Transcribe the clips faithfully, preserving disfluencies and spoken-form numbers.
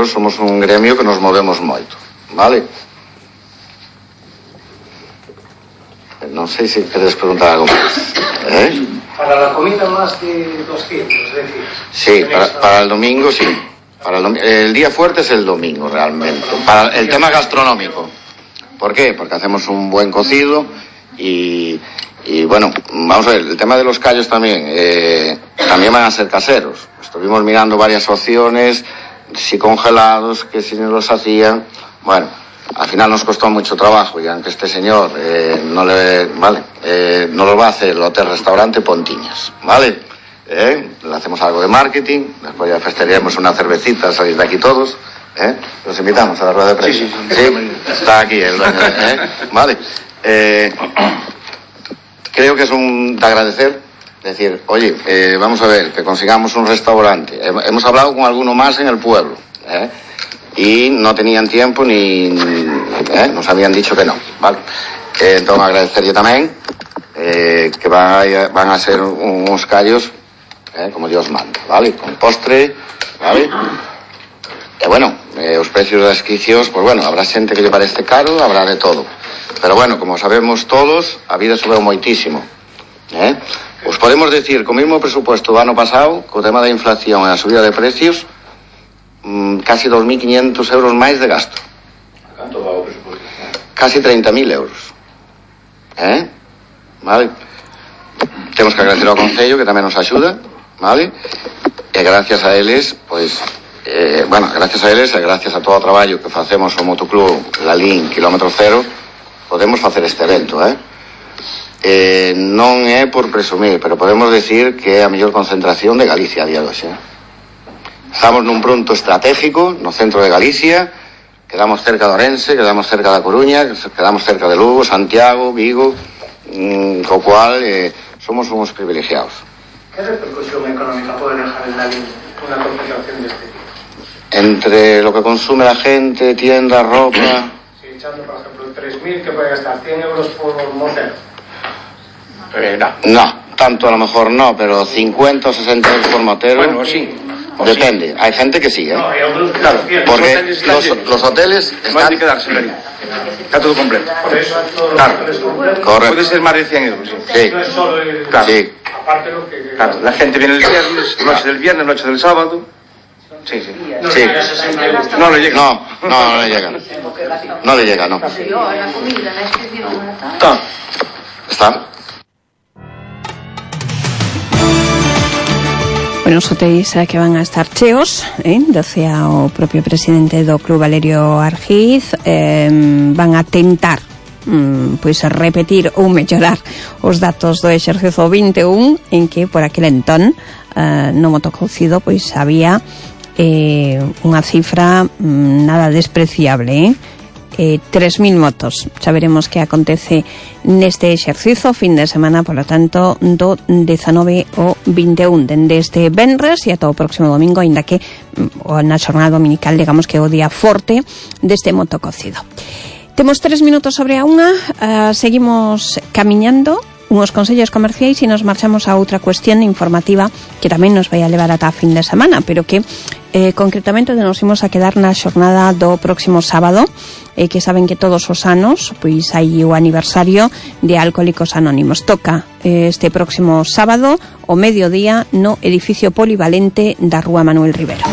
pero somos un gremio que nos movemos moito, vale? Non sei se queres preguntar algo máis, eh? Para la comida más de doscientos, es decir... Sí, para, para el domingo sí. Para el, domingo, el día fuerte es el domingo realmente. Para el tema gastronómico. ¿Por qué? Porque hacemos un buen cocido y, y bueno, vamos a ver, el tema de los callos también, eh, también van a ser caseros. Estuvimos mirando varias opciones, si congelados, que si nos los hacían, bueno, al final nos costó mucho trabajo y aunque este señor eh, no le, vale, eh, no lo va a hacer el hotel-restaurante Pontiñas, ¿vale? ¿Eh? Le hacemos algo de marketing, después ya festejaremos una cervecita, salir de aquí todos, ¿eh? Los invitamos a la rueda de prensa. Sí, sí, sí. ¿Sí? Está aquí el dueño, ¿eh? Vale. Eh, creo que es un de agradecer, decir, oye, eh, vamos a ver, que consigamos un restaurante. Hemos hablado con alguno más en el pueblo, ¿eh? Y no tenían tiempo ni, ¿eh? Nos habían dicho que no, ¿vale? Eh, entonces agradecer yo también eh, que vaya, van a ser unos callos Eh, como Dios manda, ¿vale? Con postre, ¿vale? E bueno, eh, os precios das inscripcións, pues bueno, habrá xente que lle parece caro, habrá de todo. Pero bueno, como sabemos todos, a vida subeu moitísimo, eh? Os podemos decir, co mesmo presupuesto do ano pasado, co tema da inflación e a subida de precios, mmm, casi dos mil quinientos euros máis de gasto. Canto va o presupuesto? Casi treinta mil euros. Eh? Vale? Temos que agradecer ao Concello, que tamén nos axuda, vale? E gracias a eles, pois, eh, bueno, gracias a eles e gracias a todo o traballo que facemos o Motoclub Lalín, kilómetro cero, podemos facer este evento, eh? Eh, non é por presumir, pero podemos decir que é a mellor concentración de Galicia a día de hoxe, eh? Estamos nun punto estratégico no centro de Galicia, quedamos cerca de Orense, quedamos cerca da Coruña, quedamos cerca de Lugo, Santiago, Vigo, mmm, co cual eh, somos uns privilegiados. ¿Qué repercusión económica puede dejar en la línea una concentración de este tipo? Entre lo que consume la gente, tiendas, ropa... Si echando, por ejemplo, tres mil, que puede gastar cien euros por motel. Eh, no. No, tanto a lo mejor no, pero cincuenta o sesenta euros por motero... Bueno, sí. Depende, sí. Hay gente que sí, ¿eh? No, hay otros que claro, prefieren. porque los hoteles, los, los hoteles no están... hay que quedarse ahí. Está todo completo. Por eso todos Claro. los hoteles completos. Correcto. Puede ser más de cien euros, sí. Sí. No es solo el... Claro. Sí. Aparte lo que... Claro, la gente viene el viernes, noche del viernes, noche del sábado. Sí, sí. No, Sí. no, sesenta euros. No le llega. No, no, no le llega. No le llega, no. Está. ¿Está? Bueno, os hotéis que van a estar cheos, eh? Decía o propio presidente do Club Valerio Argiz, eh, van a tentar mm, pois repetir ou mellorar os datos do exercicio vinte e un, en que por aquel entón eh, no motococido pois había eh, unha cifra mm, nada despreciable, eh? Eh, tres mil motos. Xa veremos que acontece neste exercizo fin de semana, por lo tanto, do dezanove ao vinte e un, dende este venres e ata o próximo domingo, ainda que o na xornada dominical, digamos que o día forte deste motococido. Temos tres minutos sobre a unha, uh, seguimos camiñando unhos consellos comerciais e nos marchamos a outra cuestión informativa que tamén nos vai a levar ata a fin de semana, pero que eh, concretamente nos imos a quedar na xornada do próximo sábado, eh, que saben que todos os anos pois hai o aniversario de Alcohólicos Anónimos. Toca eh, este próximo sábado o mediodía no edificio polivalente da Rúa Manuel Rivero.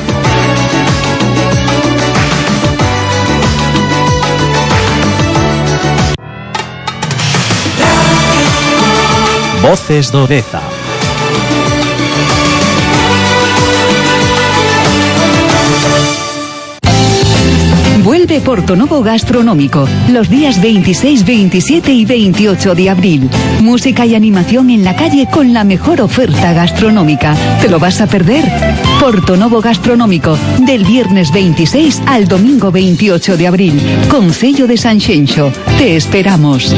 Voces do Deza. Vuelve Portonovo Gastronómico los días veintiséis, veintisiete y veintiocho de abril. Música y animación en la calle con la mejor oferta gastronómica. ¿Te lo vas a perder? Portonovo Gastronómico, del viernes veintiséis al domingo veintiocho de abril. Concello de Sanxenxo. Te esperamos.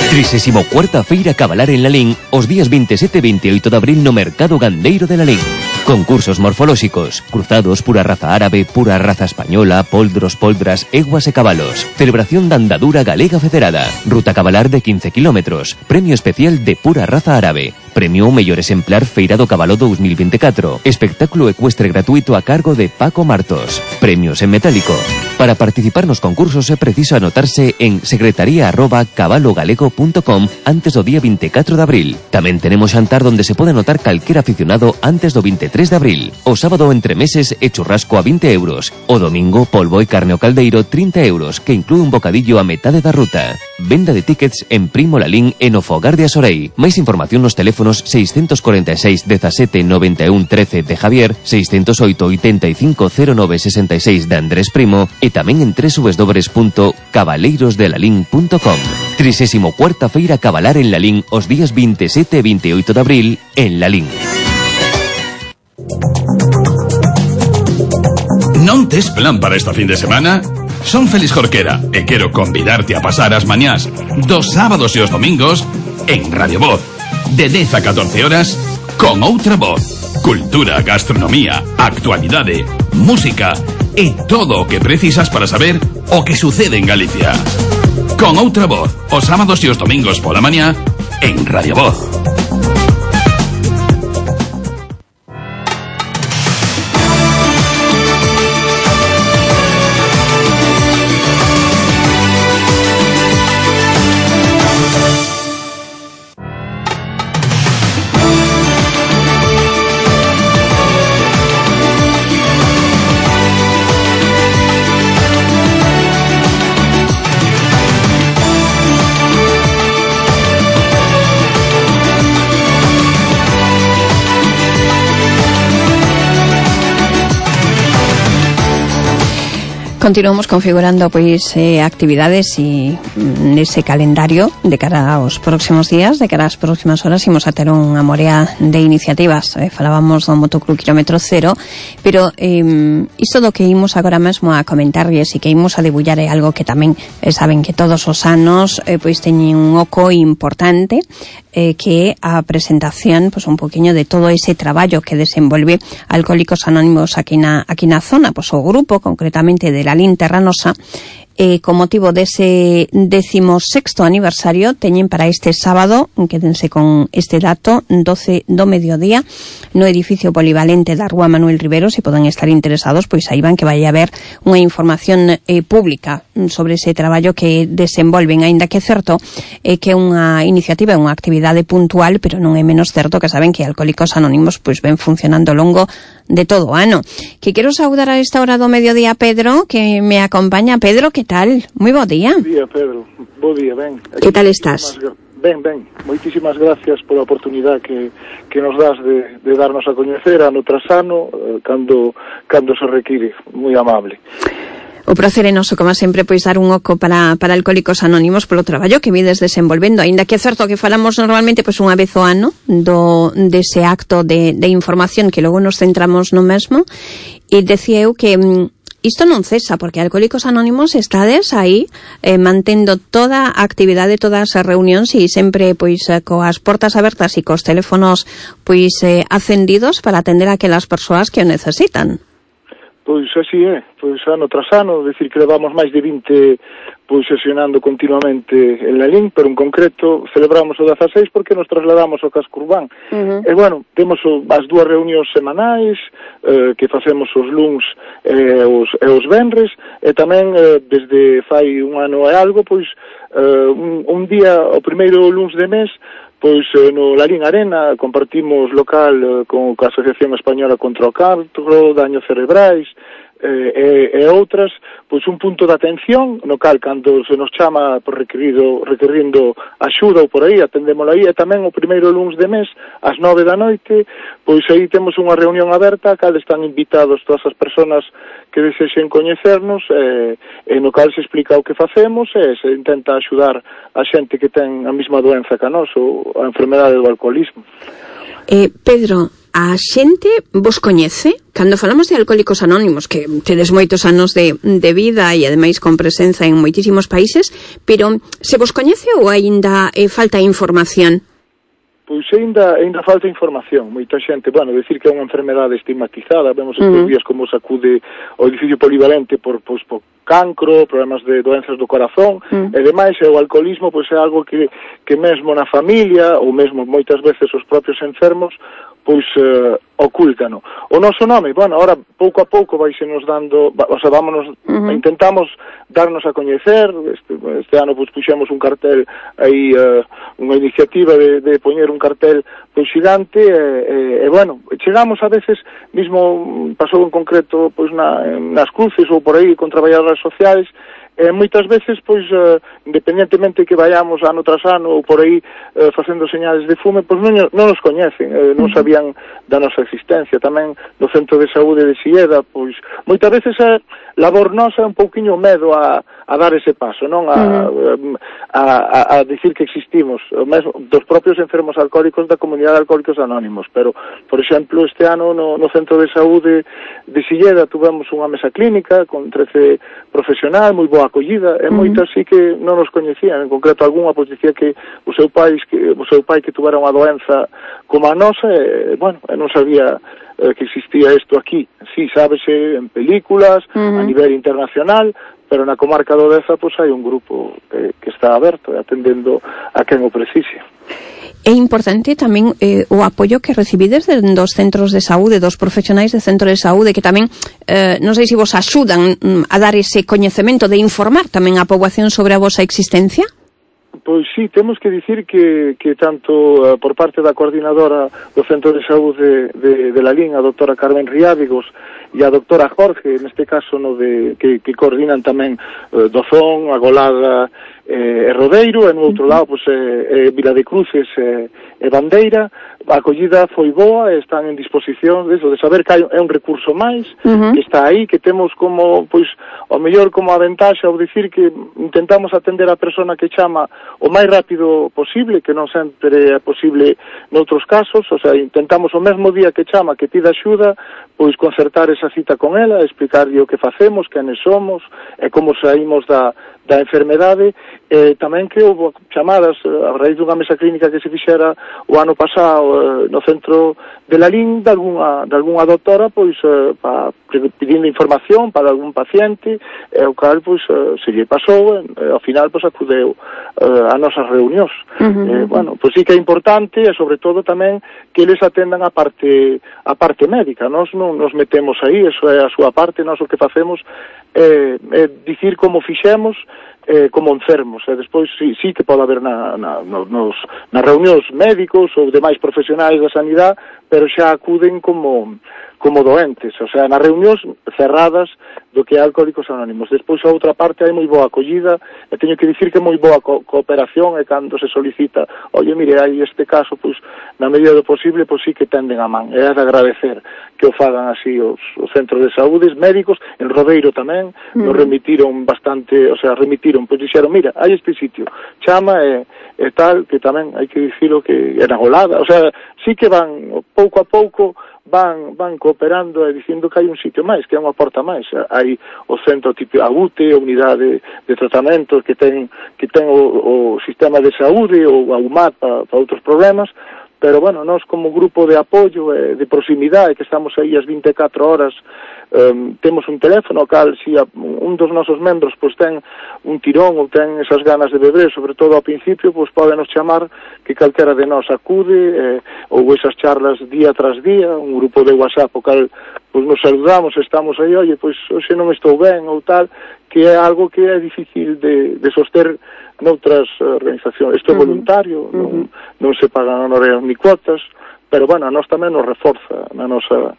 trisésima cuarta Feira Cabalar en Lalín os días veintisiete e veintiocho de abril no Mercado Gandeiro de Lalín. Concursos morfolóxicos, cruzados, pura raza árabe, pura raza española, poldros, poldras, eguas e cabalos. Celebración da andadura galega federada. Ruta cabalar de quince kilómetros. Premio especial de pura raza árabe. Premio ao mellor exemplar Feira do Cabalo dos mil veinticuatro. Espectáculo ecuestre gratuito a cargo de Paco Martos. Premios en metálico. Para participar nos concursos é preciso anotarse en secretaría arroba cabalogalego punto com antes do día veinticuatro de abril. Tamén tenemos xantar donde se pode anotar calquera aficionado antes do veintitrés de abril. O sábado entre meses e churrasco a vinte euros. O domingo polvo e carne ao caldeiro trinta euros, que inclúe un bocadillo a metade da ruta. Venda de tickets en Primo Lalín e no Fogar de Asorei. Máis información nos teléfonos seiscentos cuarenta y seis dezasete noventa y uno trece de Javier, seiscentos oito ochenta y cinco cero nove sesenta y seis de Andrés Primo e tamén en doble u doble u doble u punto cabaleiros de lalín punto com. trigésima cuarta Feira Cabalar en Lalín os días veintisiete e veintiocho de abril en Lalín. Non tes plan para esta fin de semana? Son Félix Jorquera e quero convidarte a pasar as mañás dos sábados e os domingos en Radio Voz, de dez a catorce horas, con outra voz. Cultura, gastronomía, actualidade, música e todo o que precisas para saber o que sucede en Galicia. Con outra voz, os sábados e os domingos pola mañá en Radio Voz. Continuamos configurando pois eh, actividades e nese calendario de cara aos próximos días, de cara ás próximas horas, imos a ter unha morea de iniciativas. Eh, falábamos do Motoclub Kilómetro Cero, pero eh, isto do que imos agora mesmo a comentarlles e que imos a debullar é algo que tamén eh, saben que todos os anos eh, pois teñen un oco importante, eh, que é a presentación pois un poquinho de todo ese traballo que desenvolve Alcohólicos Anónimos aquí na, aquí na zona, pois o grupo concretamente de la Lalín Terranosa, eh, con motivo dese decimosexto aniversario teñen para este sábado, quédense con este dato, doce do mediodía no edificio polivalente da Rúa Manuel Rivero. Se poden estar interesados, pois aí van que vai haber unha información eh, pública sobre ese traballo que desenvolven, aínda que é certo eh, que é unha iniciativa, unha actividade puntual, pero non é menos certo que saben que Alcohólicos Anónimos pois ven funcionando ao longo de todo o ano. Que quero saudar a esta hora do mediodía a Pedro, que me acompaña. Pedro, que tal? Moi bo día. Bo día, Pedro. Bo día, ben. Que tal estás? Ben, ben. Moitísimas gracias pola oportunidade que, que nos das de, de darnos a coñecer ano tras ano, eh, cando, cando se require. Moi amable. O prazer é noso, como sempre, pois dar un oco para, para Alcohólicos Anónimos polo traballo que vides desenvolvendo, aínda que é certo que falamos normalmente pois unha vez ao ano do, dese acto de, de información que logo nos centramos no mesmo, e decía eu que mm, isto non cesa, porque Alcohólicos Anónimos estades aí eh, mantendo toda a actividade, todas as reunións e sempre pois coas portas abertas e cos teléfonos pois eh, acendidos para atender a aquelas persoas que o necesitan. Pois así é, pois ano tras ano, decir que levamos máis de vinte pois sesionando continuamente en Lalín, pero en concreto celebramos o dezaseis porque nos trasladamos ao casco urbán. Uh-huh. E bueno, temos o, as dúas reunións semanais eh, que facemos os luns e os, e os venres, e tamén eh, desde fai un ano e algo, pois eh, un, un día, o primeiro luns de mes, pois eh, no Lalín Arena compartimos local eh, con a Asociación Española contra o Cancro, Daños Cerebrais eh, e, e outras, pois un punto de atención no cal cando se nos chama por requerido, requerindo axuda ou por aí, atendémolo aí, e tamén o primeiro luns de mes ás nove da noite, pois aí temos unha reunión aberta a cal están invitados todas as persoas que desexen coñecernos, e, e no cal se explica o que facemos e se intenta axudar a xente que ten a mesma doenza que a nós, ou a enfermedade do alcoholismo. Eh, Pedro, a xente vos coñece? Cando falamos de Alcohólicos Anónimos, que tedes moitos anos de, de vida e ademais con presenza en moitísimos países, pero se vos coñece ou aínda eh, falta información? pois ainda ainda falta información. Moita xente, bueno, decir que é unha enfermedade estigmatizada, vemos estes Uh-huh. días como sacude o edificio polivalente por, pois, por cancro, problemas de doenzas do corazón, Uh-huh. e demais, e o alcoholismo pois é algo que, que mesmo na familia, ou mesmo moitas veces os propios enfermos, pois uh, ocúltano. O noso nome, bueno, ahora pouco a pouco vaise nos dando, o sea, vámonos, Uh-huh. intentamos darnos a coñecer, este, este ano pois puxemos un cartel aí, uh, unha iniciativa de, de poñer un cartel pois xigante, e, e, e bueno, chegamos a veces, mismo pasou en concreto pois na, nas cruces ou por aí con traballadoras sociais, e moitas veces, pois, uh, independentemente que vayamos ano tras ano ou por aí uh, facendo señales de fume, pois non, non nos coñecen, uh, non sabían da nosa existencia. Tamén no Centro de Saúde de Silleda, pois, moitas veces a labor nosa é un pouquiño medo a, a dar ese paso, non? A, uh-huh. a, a, a dicir que existimos, o mesmo dos propios enfermos alcohólicos da comunidade de Alcohólicos Anónimos, pero, por exemplo, este ano no, no Centro de Saúde de Silleda tuvemos unha mesa clínica con trece profesional, moi boa acollida, e moitas sí que non nos coñecían, en concreto algunha pois dicía que o seu pai que o seu pai que tuvera unha doenza como a nosa, e, bueno, e non sabía eh, que existía isto aquí. Sí, sábese en películas, uh-huh. a nivel internacional, pero na comarca do Deza pois hai un grupo que, que está aberto e atendendo a quen o precise. É importante tamén eh, o apoio que recibides de, dos centros de saúde, dos profesionais de centro de saúde, que tamén, eh, non sei se vos axudan mm, a dar ese coñecemento, de informar tamén a poboación sobre a vosa existencia? Pois sí, temos que dicir que, que tanto uh, por parte da coordinadora do Centro de Saúde de, de la Lín, a doutora Carmen Riábigos, e a doutora Jorge, neste caso no de, que, que coordinan tamén uh, Dozón, Agolada eh, e Rodeiro, e no outro lado pois, eh, eh, Vila de Cruces e eh, Bandeira. A acollida foi boa, están en disposición de, eso, de saber que hai, é un recurso máis, uh-huh. que está aí, que temos como, pois, o mellor como a ventaxa, ou dicir que intentamos atender a persona que chama o máis rápido posible, que non sempre é posible noutros casos, o sea, intentamos o mesmo día que chama, que pida axuda, pois concertar esa cita con ela, explicarlle o que facemos, quenes somos, e como saímos da, da enfermedade, e tamén que houve chamadas a raíz dunha mesa clínica que se fixera o ano pasado no centro de la Lín, de algunha, de algunha doctora, pois, eh, pa, pedindo información para algún paciente, e o cal, pois, eh, se lle pasou, e ao final, pois, acudeu eh, a nosas reunións. Uh-huh. Eh, bueno, pois sí que é importante, e sobre todo tamén que eles atendan a parte, a parte médica. Nós non nos metemos aí, eso é a súa parte, nós o que facemos é, é dicir como fixemos, eh, como enfermos, e despois sí, sí que pode haber na, na, nos, nas reunións médicos ou demais profesionais da sanidade, pero xa acuden como, como doentes, o sea, nas reunións cerradas do que é Alcohólicos Anónimos. Despois a outra parte hai moi boa acollida, e teño que dicir que moi boa co cooperación, e cando se solicita, oye, mire, hai este caso, pois, na medida do posible, pois sí que tenden a man, é de agradecer que o fagan así os, os centros de saúde médicos, en Rodeiro tamén, mm. nos remitiron bastante, o sea, remitiron, pois dixeron, mira, hai este sitio, chama e, e tal, que tamén hai que dicilo que era golada, o sea, sí que van, pouco a pouco, van van cooperando e dicindo que hai un sitio máis, que é unha porta máis. Hai o centro tipo a U T E, a unidade de, de tratamento que ten que ten o, o sistema de saúde ou a U M A T para pa outros problemas, pero bueno, nós como grupo de apoio e de proximidade que estamos aí as vinte e catro horas, um, temos un teléfono ao cal si a, un dos nosos membros pois ten un tirón ou ten esas ganas de beber, sobre todo ao principio, pois podenos chamar, que calquera de nós acude, eh, ou esas charlas día tras día, un grupo de WhatsApp o cal pois nos saludamos, estamos aí, oye, pois hoxe non estou ben ou tal, que é algo que é difícil de, de soster noutras organizacións. Isto é voluntario, uh-huh. non, non se pagan honorarios ni cuotas, pero, bueno, a nós tamén nos reforza na nosa,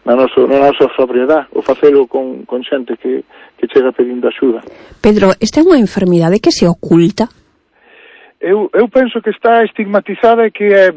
na nosa, na nosa sobriedade, o facelo con, con xente que, que chega pedindo axuda. Pedro, esta é unha enfermidade que se oculta? Eu, eu penso que está estigmatizada e que é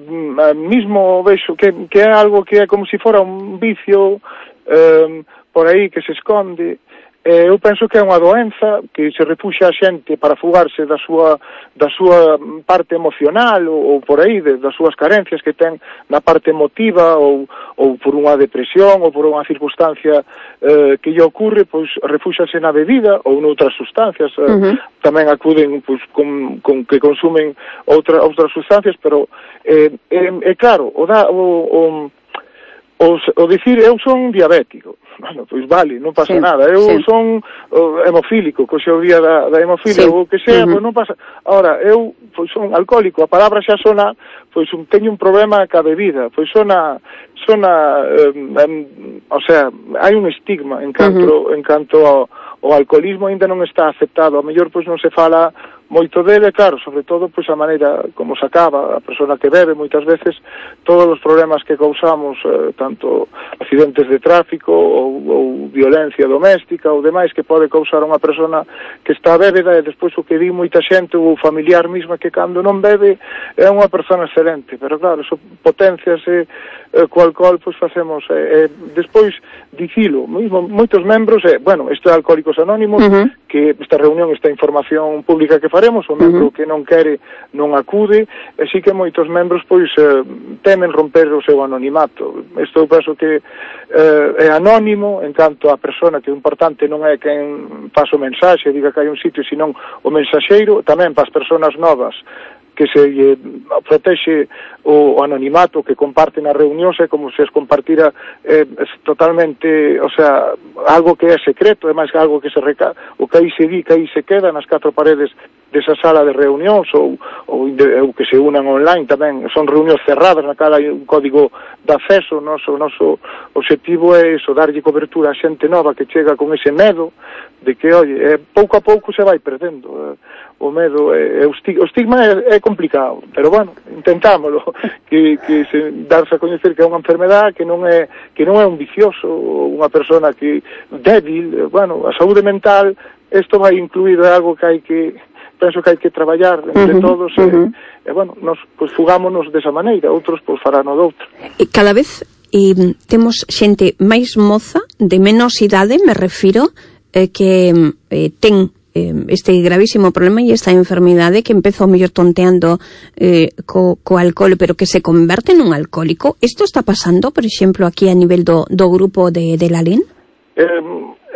mismo vexo que, que é algo que é como se fora un vicio um, por aí que se esconde. Eh, eu penso que é unha doenza que se refuxa a xente para fugarse da súa, da súa parte emocional ou, ou por aí, de, das súas carencias que ten na parte emotiva ou, ou por unha depresión ou por unha circunstancia eh, que lle ocorre, pois refúxase na bebida ou noutras sustancias. Eh, uh-huh. Tamén acuden pois, con, con que consumen outra, outras sustancias, pero eh, é, é claro, o, da, o, o O, o dicir, eu son diabético, bueno, pois vale, non pasa sí, nada, eu sí. son o, hemofílico, co xe o día da, da hemofilia, sí. ou o que sea, uh-huh. pois non pasa. Ahora, eu pois son alcohólico, a palabra xa sona, pois un, teño un problema ca bebida, pois sona, sona, eh, eh, o sea, hai un estigma en canto, uh-huh. en canto ao, ao alcoholismo ainda non está aceptado, a mellor pois non se fala moito dele, claro, sobre todo pois a maneira como se acaba a persona que bebe, moitas veces todos os problemas que causamos, eh, tanto accidentes de tráfico ou, ou violencia doméstica ou demais que pode causar unha persona que está bébeda, e despois o que di moita xente ou familiar mesma que cando non bebe é unha persona excelente, pero claro, eso potenciase eh, co alcohol, pois facemos eh, eh, despois dicilo, mesmo moitos membros, eh, bueno, isto é Alcohólicos Anónimos, uh-huh. que esta reunión, esta información pública que faremos, o membro uh-huh. que non quere non acude, e si que moitos membros pois eh, temen romper o seu anonimato. Isto eu penso que eh, é anónimo, en canto a persona, que o importante non é quen pasa o mensaxe, diga que hai un sitio, senón o mensaxeiro, tamén para as persoas novas, que se eh, protexe o, o anonimato que comparten as reunións, é como se es compartira eh, es totalmente, o sea, algo que é secreto, é máis que algo que se reca, o que aí se di, que aí se queda nas catro paredes desa sala de reunións, ou, ou, de, ou que se unan online tamén, son reunións cerradas, na cara hai un código de acceso. O noso, o noso objetivo é iso, darlle cobertura a xente nova que chega con ese medo de que, oye, eh, pouco a pouco se vai perdendo, eh, o medo, é, é, o, estig, o estigma é, é complicado, pero bueno, intentámoslo, que, que se darse a coñecer que é unha enfermedad, que non é que non é un vicioso, unha persona que débil, bueno, a saúde mental, isto vai incluído, é algo que hai que, penso que hai que traballar entre uh-huh, todos, uh-huh. e, e bueno, nos pues, fugámonos desa maneira, outros pues, farán o doutro. Cada vez eh, temos xente máis moza, de menos idade, me refiro, eh, que eh, ten este gravísimo problema e esta enfermidade que empezou mellor tonteando eh, co, co alcohol, pero que se converte nun alcohólico. Isto está pasando, por exemplo, aquí a nivel do, do grupo de, de Lalín? Eh,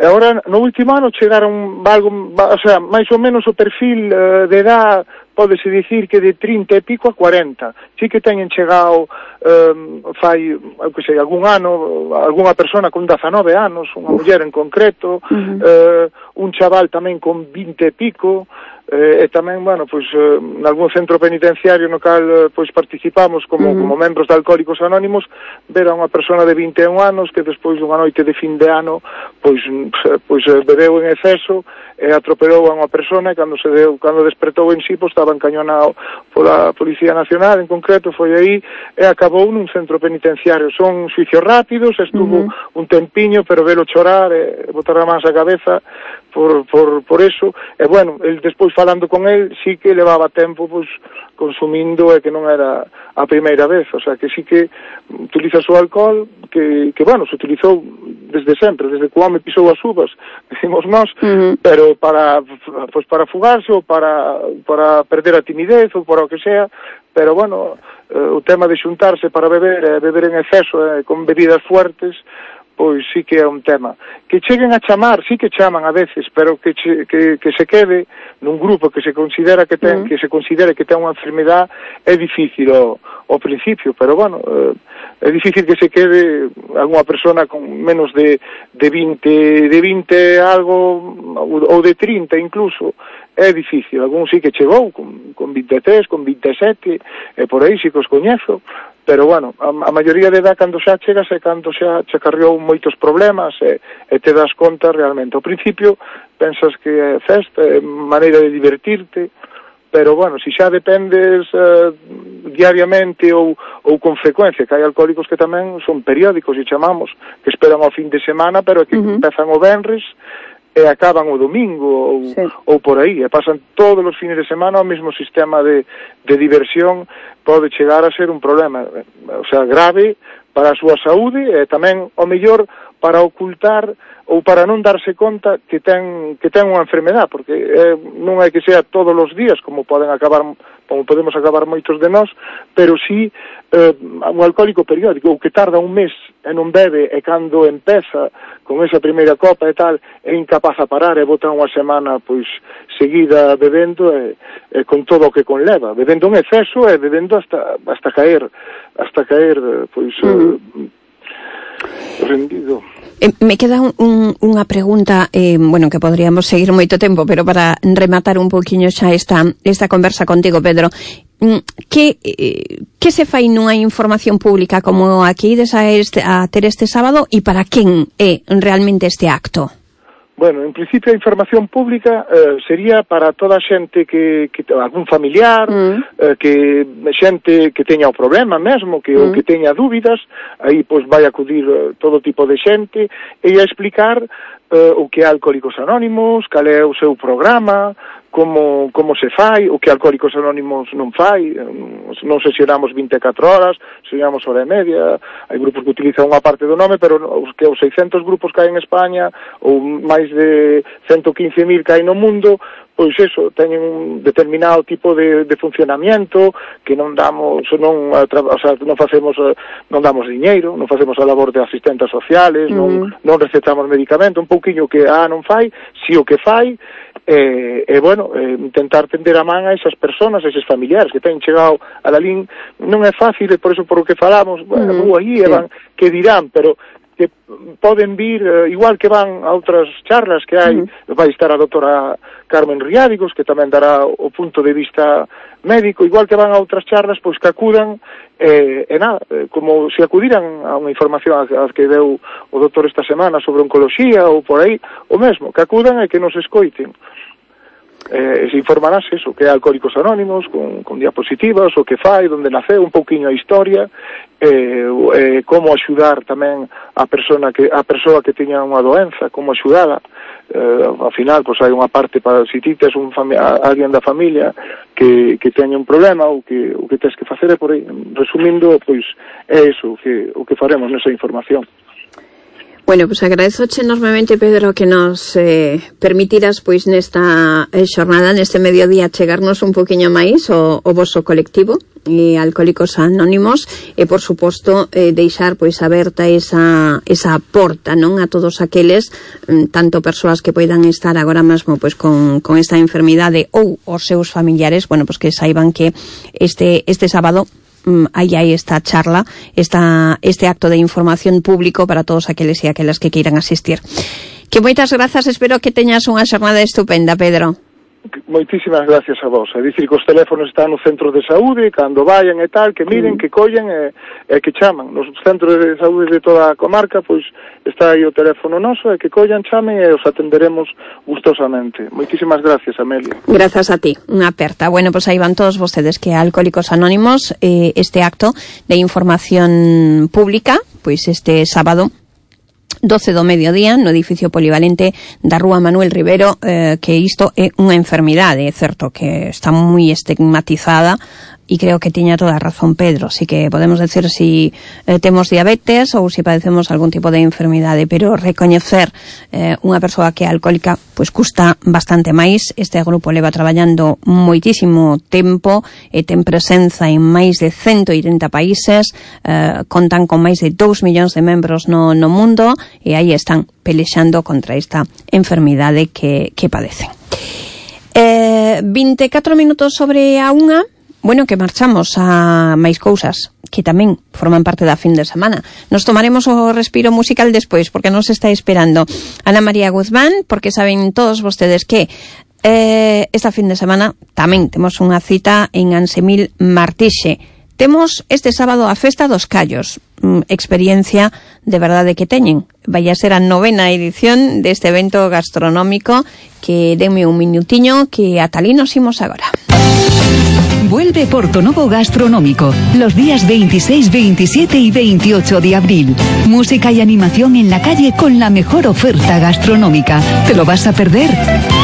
agora, no último ano chegaron algo, o sea, máis ou menos o perfil eh, de edad pódese dicir que de trinta e pico a cuarenta. Sí que teñen chegado eh, fai, eu que sei, algún ano, algunha persona con dezanove anos, unha muller en concreto, uh-huh. eh, un chaval tamén con vinte e pico, eh, e tamén, bueno, pois, eh, en algún centro penitenciario no cal, eh, pois, participamos como, uh-huh. como membros de Alcohólicos Anónimos, ver a unha persona de vinte e un anos que despois dunha noite de fin de ano, pois, pois bebeu en exceso e atropelou a unha persona, e cando se deu, cando despertou en sí, pois, estaba encañonado pola Policía Nacional, en concreto, foi aí, e acabou nun centro penitenciario. Son xuicios rápidos, estuvo uh-huh. un tempiño, pero velo chorar, e botar a mans a cabeza, por, por, por eso, e bueno, el despois falando con el, sí que levaba tempo, pois, consumindo, e que non era a primeira vez, o sea, que sí que utiliza o alcohol, que, que bueno, se utilizou desde sempre, desde que o home pisou as uvas, decimos nós, uh-huh. pero para, pues, para fugarse, ou para, para perder a timidez, ou para o que sea, pero bueno, eh, o tema de xuntarse para beber, e beber en exceso, eh, con bebidas fuertes, pois sí que é un tema. Que cheguen a chamar, sí que chaman a veces, pero que, che, que, que se quede nun grupo que se considera que ten, uh-huh. que se considere que ten unha enfermedad, é difícil ao, ao principio, pero bueno, eh, é difícil que se quede algunha persona con menos de, de vinte, de vinte algo, ou de trinta incluso, é difícil. Algún sí que chegou con, con vinte e tres, con vinte e sete, e por aí sí que os coñezo, pero bueno, a, a maioría de edad cando xa chegas é cando xa che carriou moitos problemas e, e te das conta realmente. Ao principio pensas que é festa, é maneira de divertirte, pero bueno, si xa dependes uh, diariamente ou, ou con frecuencia, que hai alcohólicos que tamén son periódicos e chamamos, que esperan ao fin de semana, pero que uh-huh. empezan o venres e acaban o domingo ou, sí. ou por aí, e pasan todos os fines de semana o mesmo sistema de, de diversión, pode chegar a ser un problema, o sea, grave para a súa saúde, e tamén, ao mellor, para ocultar ou para non darse conta que ten que ten unha enfermedad, porque eh, non é que sea todos os días como poden acabar como podemos acabar moitos de nós, pero sí eh, un alcohólico periódico, o que tarda un mes e non bebe, e cando empeza con esa primeira copa e tal, é incapaz a parar e bota unha semana pois seguida bebendo e, e con todo o que conleva, bebendo en exceso e bebendo hasta hasta caer, hasta caer pois mm. eh, rendido. Eh, me queda un, un, unha pregunta, eh, bueno, que podríamos seguir moito tempo, pero para rematar un poquinho xa esta, esta conversa contigo, Pedro, que, eh, que se fai nunha información pública como aquí desa este, a ter este sábado, e para quen é realmente este acto? Bueno, en principio a información pública eh, sería para toda a xente que, que algún familiar, mm. eh, que xente que teña o problema mesmo, que mm. ou que teña dúbidas, aí pois vai acudir eh, todo tipo de xente e a explicar eh, o que é Alcohólicos Anónimos, cal é o seu programa, como, como se fai, o que Alcohólicos Anónimos non fai, non sesionamos vinte e catro horas, sesionamos hora e media, hai grupos que utilizan unha parte do nome, pero os que os seiscentos grupos que hai en España, ou máis de ciento quince mil que hai no mundo, pois eso, teñen un determinado tipo de, de funcionamiento, que non damos, non, o sea, non facemos, non damos diñeiro, non facemos a labor de asistentes sociales, mm. non, non recetamos medicamento, un pouquiño que a ah, non fai, si o que fai, e, e bueno, eh, intentar tender a man a esas personas, a eses familiares que teñen chegado a la lin, non é fácil, e por eso por o que falamos, bueno, mm. aí, sí. van, que dirán, pero que poden vir, eh, igual que van a outras charlas que hai, mm. vai estar a doutora Carmen Riádigos, que tamén dará o punto de vista médico, igual que van a outras charlas, pois que acudan, eh, e nada, eh, como se acudiran a unha información a, a que deu o doutor esta semana sobre oncoloxía ou por aí, o mesmo, que acudan e que nos escoiten. Eh, se informarás eso, que é Alcohólicos Anónimos, con, con diapositivas, o que fai, onde naceu, un pouquiño a historia, eh, eh, como axudar tamén a persona que a persoa que teña unha doenza, como axudala. Eh, ao final, pois hai unha parte para si ti tes un fami- alguén da familia que, que teña un problema, ou que, o que tes que facer é por aí. Resumindo, pois é eso o que, o que faremos nesa información. Bueno, pois pues agradezoche enormemente, Pedro, que nos eh, permitiras pois nesta eh, xornada, neste mediodía, chegarnos un poquinho máis o, o voso colectivo e Alcohólicos Anónimos e, por suposto, eh, deixar pois aberta esa, esa porta, non, a todos aqueles, tanto persoas que poidan estar agora mesmo pois con, con esta enfermidade ou os seus familiares, bueno, pois que saiban que este, este sábado aí hai esta charla, esta, este acto de información público para todos aqueles e aquelas que queiran asistir. Que moitas grazas, espero que teñas unha xornada estupenda, Pedro. Moitísimas gracias a vos. É dicir que os teléfonos están no centro de saúde, cando vayan e tal, que miren, mm. que collen e, e que chaman. Nos centros de saúde de toda a comarca, pois está aí o teléfono noso, e que collan, chamen e os atenderemos gustosamente. Moitísimas gracias, Amelia. Grazas a ti, unha aperta. Bueno, pois aí van todos vostedes que Alcohólicos Anónimos, eh, este acto de información pública, pois este sábado doce do mediodía no edificio polivalente da Rúa Manuel Rivero, eh, que isto é unha enfermidade, é certo que está moi estigmatizada, e creo que tiña toda a razón Pedro, así que podemos decir si eh, temos diabetes ou si padecemos algún tipo de enfermidade, pero recoñecer eh, unha persoa que é alcohólica pois custa bastante máis. Este grupo leva traballando moitísimo tempo e ten presenza en máis de ciento oitenta países, eh, contan con máis de dous millóns de membros no, no mundo, e aí están pelexando contra esta enfermidade que, que padecen. Eh, vinte e catro minutos sobre a unha. Bueno, que marchamos a máis cousas que tamén forman parte da fin de semana. Nos tomaremos o respiro musical despois, porque nos está esperando Ana María Guzmán, porque saben todos vostedes que eh, esta fin de semana tamén temos unha cita en Ansemil Martixe. Temos este sábado a Festa dos Callos, mm, experiencia de verdade que teñen. Vai a ser a novena edición deste evento gastronómico, que denme un minutiño que ata ali nos imos agora. Vuelve Portonovo Gastronómico los días veintiséis, veintisiete y veintiocho de abril. Música y animación en la calle con la mejor oferta gastronómica. ¿Te lo vas a perder?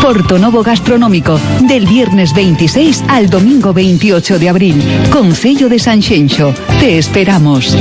Portonovo Gastronómico, del viernes veintiséis al domingo veintiocho de abril. Concello de Sanxenxo. Te esperamos.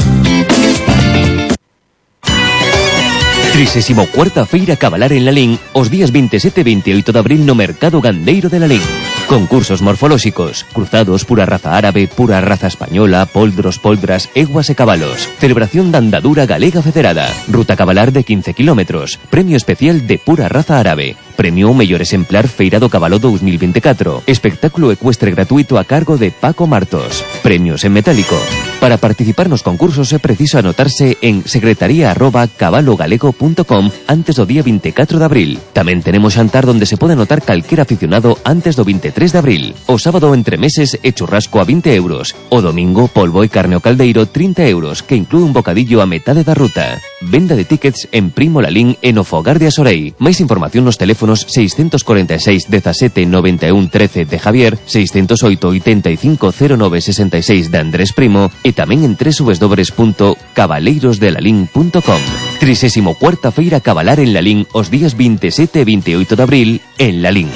trisésimo cuarta Feira Cabalar en Lalín os días veintisiete e veintiocho de abril no Mercado Gandeiro de Lalín. Concursos morfolóxicos, cruzados pura raza árabe, pura raza española, poldros, poldras, eguas e cabalos. Celebración da andadura galega federada. Ruta cabalar de quince kilómetros. Premio especial de pura raza árabe. Premio ao mellor exemplar Feira do Cabalo dos mil veinticuatro. Espectáculo ecuestre gratuito a cargo de Paco Martos. Premios en metálico. Para participar nos concursos é preciso anotarse en secretaría arroba cabalogalego punto com antes do día veinticuatro de abril. Tamén tenemos xantar donde se pode anotar calquer aficionado antes do veintitrés de abril. O sábado entre meses e churrasco a vinte euros. O domingo polvo e carne ao caldeiro trinta euros, que inclúe un bocadillo a metade da ruta. Venda de tickets en Primo Lalín e no Fogar de Asorei. Máis información nos teléfonos seiscentos cuarenta e seis dezasete noventa e un trece de Javier, seiscentos oito oitenta e cinco cero nove sesenta e seis de Andrés Primo e tamén en doble u doble u doble u punto cabaleiros de lalín punto com. trisésimo cuarta Feira Cabalar en Lalín os días veintisiete e veintiocho de abril en Lalín.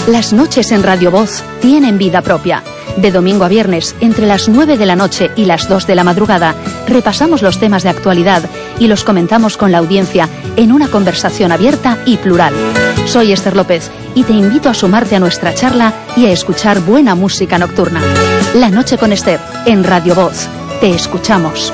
Las noches en Radio Voz tienen vida propia. De domingo a viernes, entre las nueve de la noche y las dos de la madrugada, repasamos los temas de actualidad y los comentamos con la audiencia en una conversación abierta y plural. Soy Esther López y te invito a sumarte a nuestra charla y a escuchar buena música nocturna. La noche con Esther, en Radio Voz. Te escuchamos.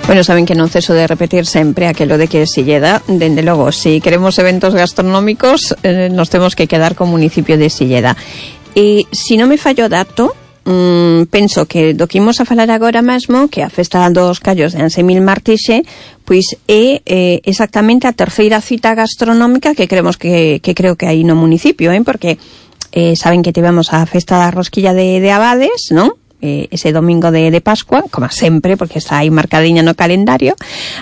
Bueno, saben que non ceso de repetir sempre aquelo de que Silleda, dende logo, si queremos eventos gastronómicos, eh, nos temos que quedar co municipio de Silleda. E, si non me fallo dato, mmm, penso que do que imos a falar agora mesmo, que a festa dos callos de Ansemil Martixe, pois é eh, exactamente a terceira cita gastronómica que creemos que, que creo que hai no municipio, eh, porque eh, saben que tivemos a festa da rosquilla de, de Abades, non? Eh, ese domingo de, de Pascua, como sempre, porque está aí marcadiña no calendario.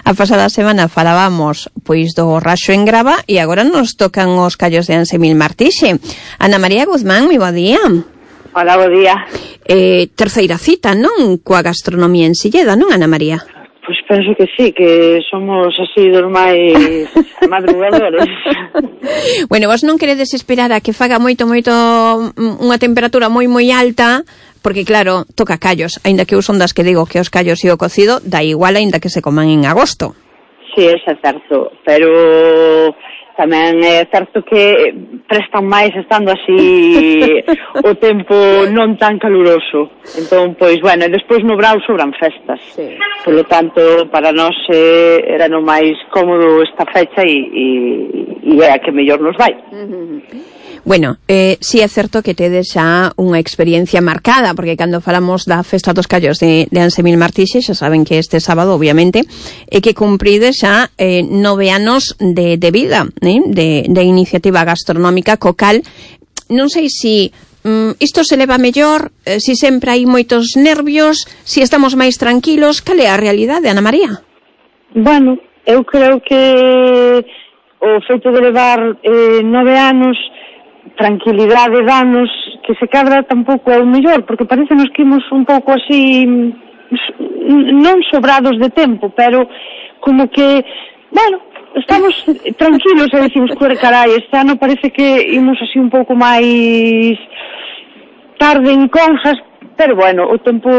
A pasada semana falábamos pois do Raxo en Grava e agora nos tocan os callos de Ansemil Martixe. Ana María Guzmán, moi bo día. Hola, bo día. Eh, terceira cita, non? Coa gastronomía en Silleda, non, Ana María? Pois penso que sí, que somos así dos máis madrugadores. Bueno, vos non queredes esperar a que faga moito, moito unha temperatura moi, moi alta, porque claro, toca callos, aínda que eu son das que digo que os callos e o cocido da igual aínda que se coman en agosto. Sí, é certo, pero tamén é certo que prestan máis estando así o tempo non tan caluroso. Entón, pois, bueno, e despois no Brao sobran festas. Sí. Por lo tanto, para nós eh, era no máis cómodo esta fecha e, e, e é a que mellor nos vai. Uh-huh. Bueno, eh, sí é certo que tedes xa unha experiencia marcada, porque cando falamos da Festa dos Callos de, de Ansemil Martixe, xa saben que este sábado, obviamente, é que cumprides xa eh, nove anos de, de vida, eh, de, de iniciativa gastronómica, co cal, non sei se mm, isto se leva mellor, eh, se sempre hai moitos nervios, se estamos máis tranquilos, cal é a realidade, Ana María? Bueno, eu creo que o feito de levar eh, nove anos, tranquilidade danos, que se cadra tampouco é o mellor, porque parecenos que imos un pouco así, non sobrados de tempo, pero como que, bueno, estamos tranquilos e decimos, carai, este ano parece que imos así un pouco máis tarde en cousas, pero bueno, o tempo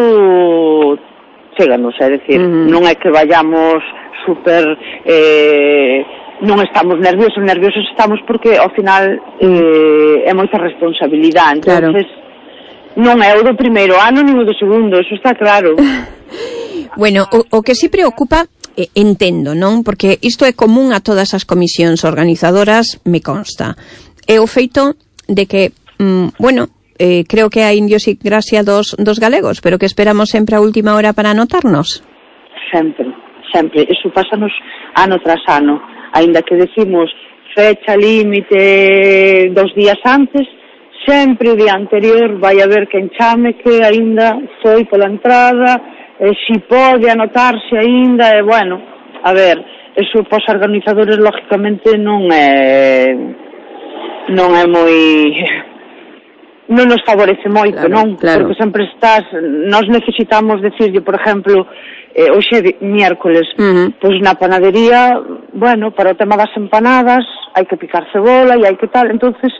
cheganos, é dicir, uh-huh. non é que vayamos super... Eh, non estamos nerviosos, nerviosos estamos porque ao final eh, é moita responsabilidade, entonces claro. Non é o do primeiro ano nin o do segundo, eso está claro. Bueno, o, o que si preocupa, eh, entendo, non? Porque isto é común a todas as comisións organizadoras, me consta, é o feito de que mm, bueno, eh, creo que a idiosincrasia dos, dos galegos, pero que esperamos sempre a última hora para anotarnos. Sempre, sempre. Eso pásanos ano tras ano. Ainda que decimos fecha límite dos días antes, sempre o día anterior vai haber quen chame que aínda foi pola entrada, e si pode anotarse aínda, e bueno, a ver, eso pos organizadores lógicamente non é non é moi non nos favorece moito, claro, non? Claro. Porque sempre estás, nós necesitamos decirlle, por exemplo, eh, hoxe é miércoles, uh-huh. pois na panadería, bueno, para o tema das empanadas hai que picar cebola e hai que tal, entonces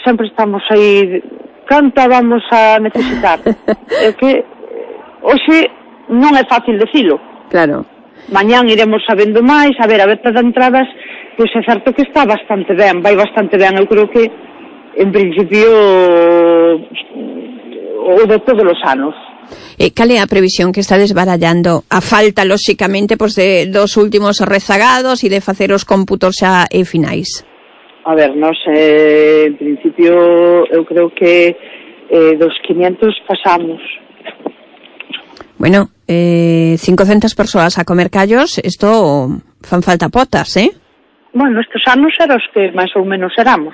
sempre estamos aí, canta vamos a necesitar. É que hoxe non é fácil decilo. Claro. Mañán iremos sabendo máis, a ver, a veta de entradas, pois é certo que está bastante ben, vai bastante ben, eu creo que en principio o de todos os anos. Eh, cal é a previsión que está desbarallando? A falta, lóxicamente, pois de dos últimos rezagados e de facer os cómputos xa e finais. A ver, nós, eh, en principio, eu creo que eh, dos quinientos pasamos. Bueno, eh, cincocentas persoas a comer callos, isto fan falta potas, eh? Bueno, estes anos eran os que máis ou menos éramos.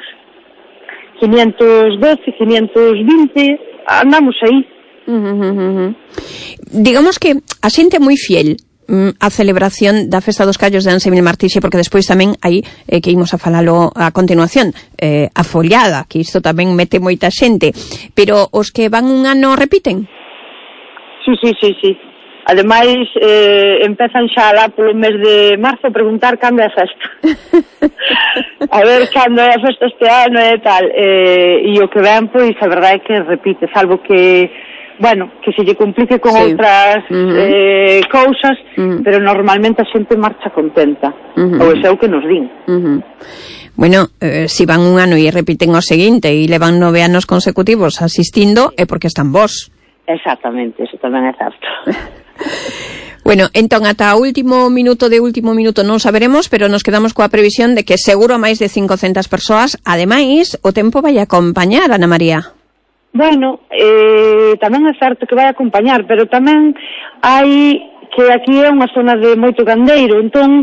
quinientos doce, quinientos vinte, andamos aí. Uh, uh, uh, uh. Digamos que a xente é moi fiel mm, a celebración da Festa dos Callos de Ansemil Martixe, porque despois tamén aí eh, que imos a falalo a continuación, eh, a follada, que isto tamén mete moita xente, pero os que van un ano repiten? Sí, sí, sí, sí. Ademais, eh, empezan xa lá polo mes de marzo a preguntar cando é a festa. A ver cando é a festa este ano e tal. Eh, e o que ven, pois, a verdade é que repite, salvo que, bueno, que se lle complique con sí. outras uh-huh. eh, cousas, uh-huh. pero normalmente a xente marcha contenta. Uh-huh. Ou é o que nos din. Uh-huh. Bueno, eh, si van un ano e repiten o seguinte e levan nove anos consecutivos asistindo, é porque están vos. Exactamente, eso tamén é certo. Bueno, entón, ata o último minuto de último minuto non saberemos, pero nos quedamos coa previsión de que seguro máis de cincocentas persoas. Ademais, o tempo vai acompañar, Ana María. Bueno, eh, tamén é certo que vai acompañar, pero tamén hai que aquí é unha zona de moito gandeiro, entón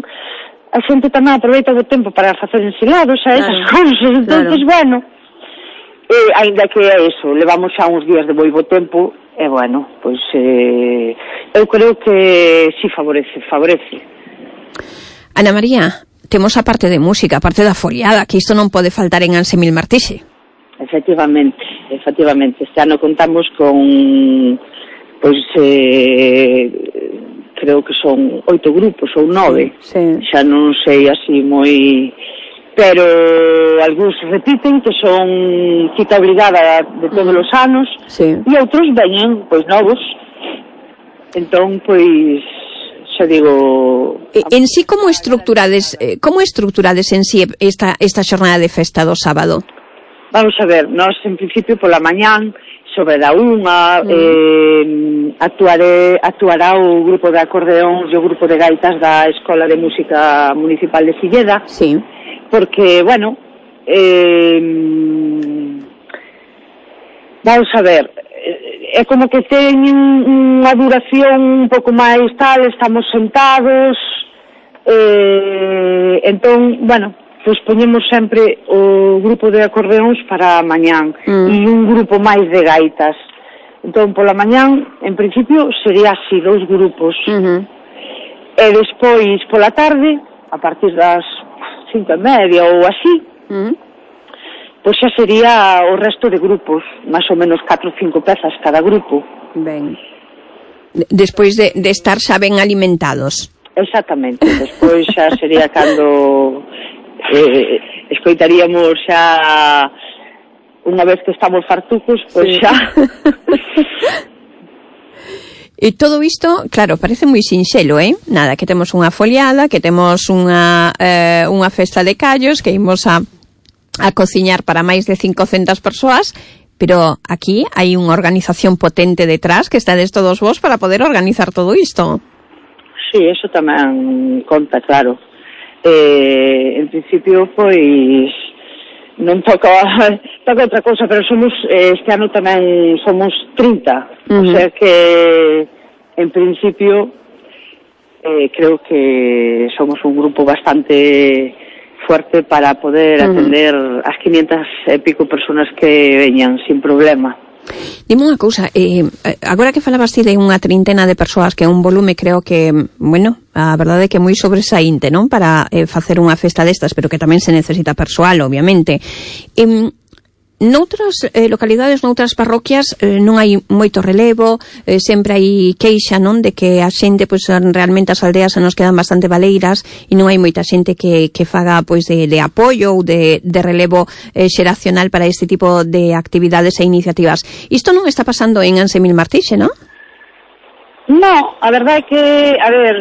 a xente tamén aproveita o tempo para facer ensilados a esas claro, cousas, entonces, claro. bueno, eh, ainda que é eso, levamos xa uns días de moi bo tempo, e bueno, pois eh, eu creo que si favorece, favorece. Ana María, temos a parte de música, a parte da foliada, que isto non pode faltar en Ansemil Martixe. Efectivamente, efectivamente. Este ano contamos con, pois, eh, creo que son oito grupos ou nove. Sí. Xa non sei así moi... pero algúns repiten que son cita obligada de todos os anos sí. e outros veñen pois novos, entón pois xa digo en sí como estructurades como estructurades en sí esta, esta xornada de festa do sábado? Vamos a ver, nós en principio pola mañán sobre da unha mm. eh, actuaré, actuará o grupo de acordeóns e o grupo de gaitas da Escola de Música Municipal de Silleda. Sí. Porque, bueno, eh, vamos a ver, é como que teñen unha duración un pouco máis tal, estamos sentados, eh, entón, bueno, pois poñemos sempre o grupo de acordeóns para mañán mm. e un grupo máis de gaitas. Entón, pola mañán, en principio, sería así, dous grupos. Uh-huh. E despois, pola tarde, a partir das cinco e media ou así, mm. pois xa sería o resto de grupos, máis ou menos catro ou cinco pezas cada grupo. Ben. Despois de, de estar xa ben alimentados. Exactamente, despois xa sería cando eh, escoitaríamos xa unha vez que estamos fartucos, pois sí. xa... E todo isto, claro, parece moi sinxelo, eh? Nada, que temos unha foliada, que temos unha eh, unha festa de callos, que imos a, a cociñar para máis de cincocentas persoas, pero aquí hai unha organización potente detrás, que estades todos vos para poder organizar todo isto. Sí, eso tamén conta, claro. Eh, en principio, pois, non toca toca outra cousa, pero somos este ano tamén somos trinta, uh-huh. O sea que en principio eh, creo que somos un grupo bastante fuerte para poder uh-huh. atender as quinientas e pico personas que veñan sin problema. Dime unha cousa, eh, agora que falabas ti de unha trintena de persoas, que é un volume, creo que, bueno, a verdade é que é moi sobresaínte, non? Para eh, facer unha festa destas, pero que tamén se necesita persoal, obviamente. Eh, noutras eh, localidades, noutras parroquias, eh, non hai moito relevo, eh, sempre hai queixa, non? De que a xente, pois, realmente as aldeas se nos quedan bastante baleiras e non hai moita xente que, que faga, pois, de, de apoio ou de, de relevo eh, xeracional para este tipo de actividades e iniciativas. Isto non está pasando en Ansemil Martixe, non? No, a verdade é que, a ver,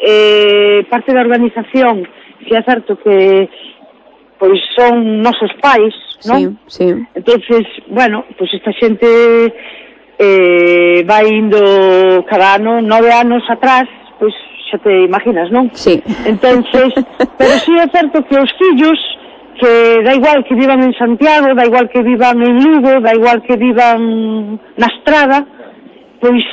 eh, parte da organización, si é certo que pois son nosos pais, non? Sí, sí. Entonces, bueno, pois esta xente eh, vai indo cada ano, nove anos atrás, pois xa te imaginas, non? Sí. Entonces, pero sí é certo que os fillos, que da igual que vivan en Santiago, da igual que vivan en Lugo, da igual que vivan na Estrada, pois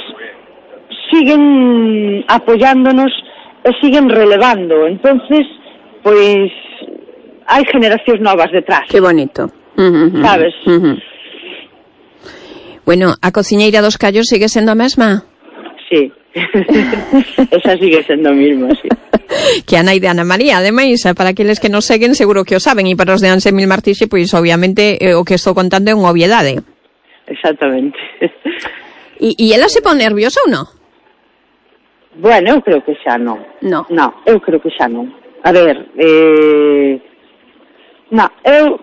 siguen apoyándonos e siguen relevando. Entonces, pois hai generacións novas detrás. Que bonito. Uh-huh, sabes? Uh-huh. Bueno, a cociñeira dos Callos sigue sendo a mesma? Sí. Esa sigue sendo a mesma, sí. Que a nai de Ana María, ademais, para aqueles que nos seguen seguro que o saben, e para os de Ansemil Martixe, pois obviamente eh, o que estou contando é unha obviedade. Exactamente. E, e ela se pon nerviosa ou non? Bueno, eu creo que xa non. No. No, eu creo que xa non. A ver, eh... No, eu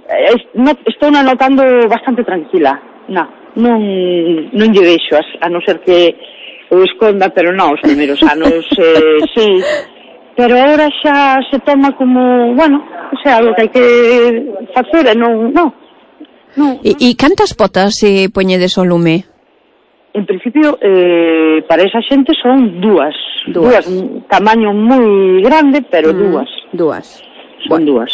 no, estou notando bastante tranquila. No, non, non lle vexo, a, a non ser que o esconda, pero non, os primeiros anos eh, sí. Pero agora xa se toma como, bueno, o sea, algo que hai que facer e non, non. E, e cantas potas se poñedes ao lume? En principio, eh, para esa xente son dúas. Dúas. Dúas, un tamaño moi grande, pero mm, dúas. Dúas. Son bueno. dúas.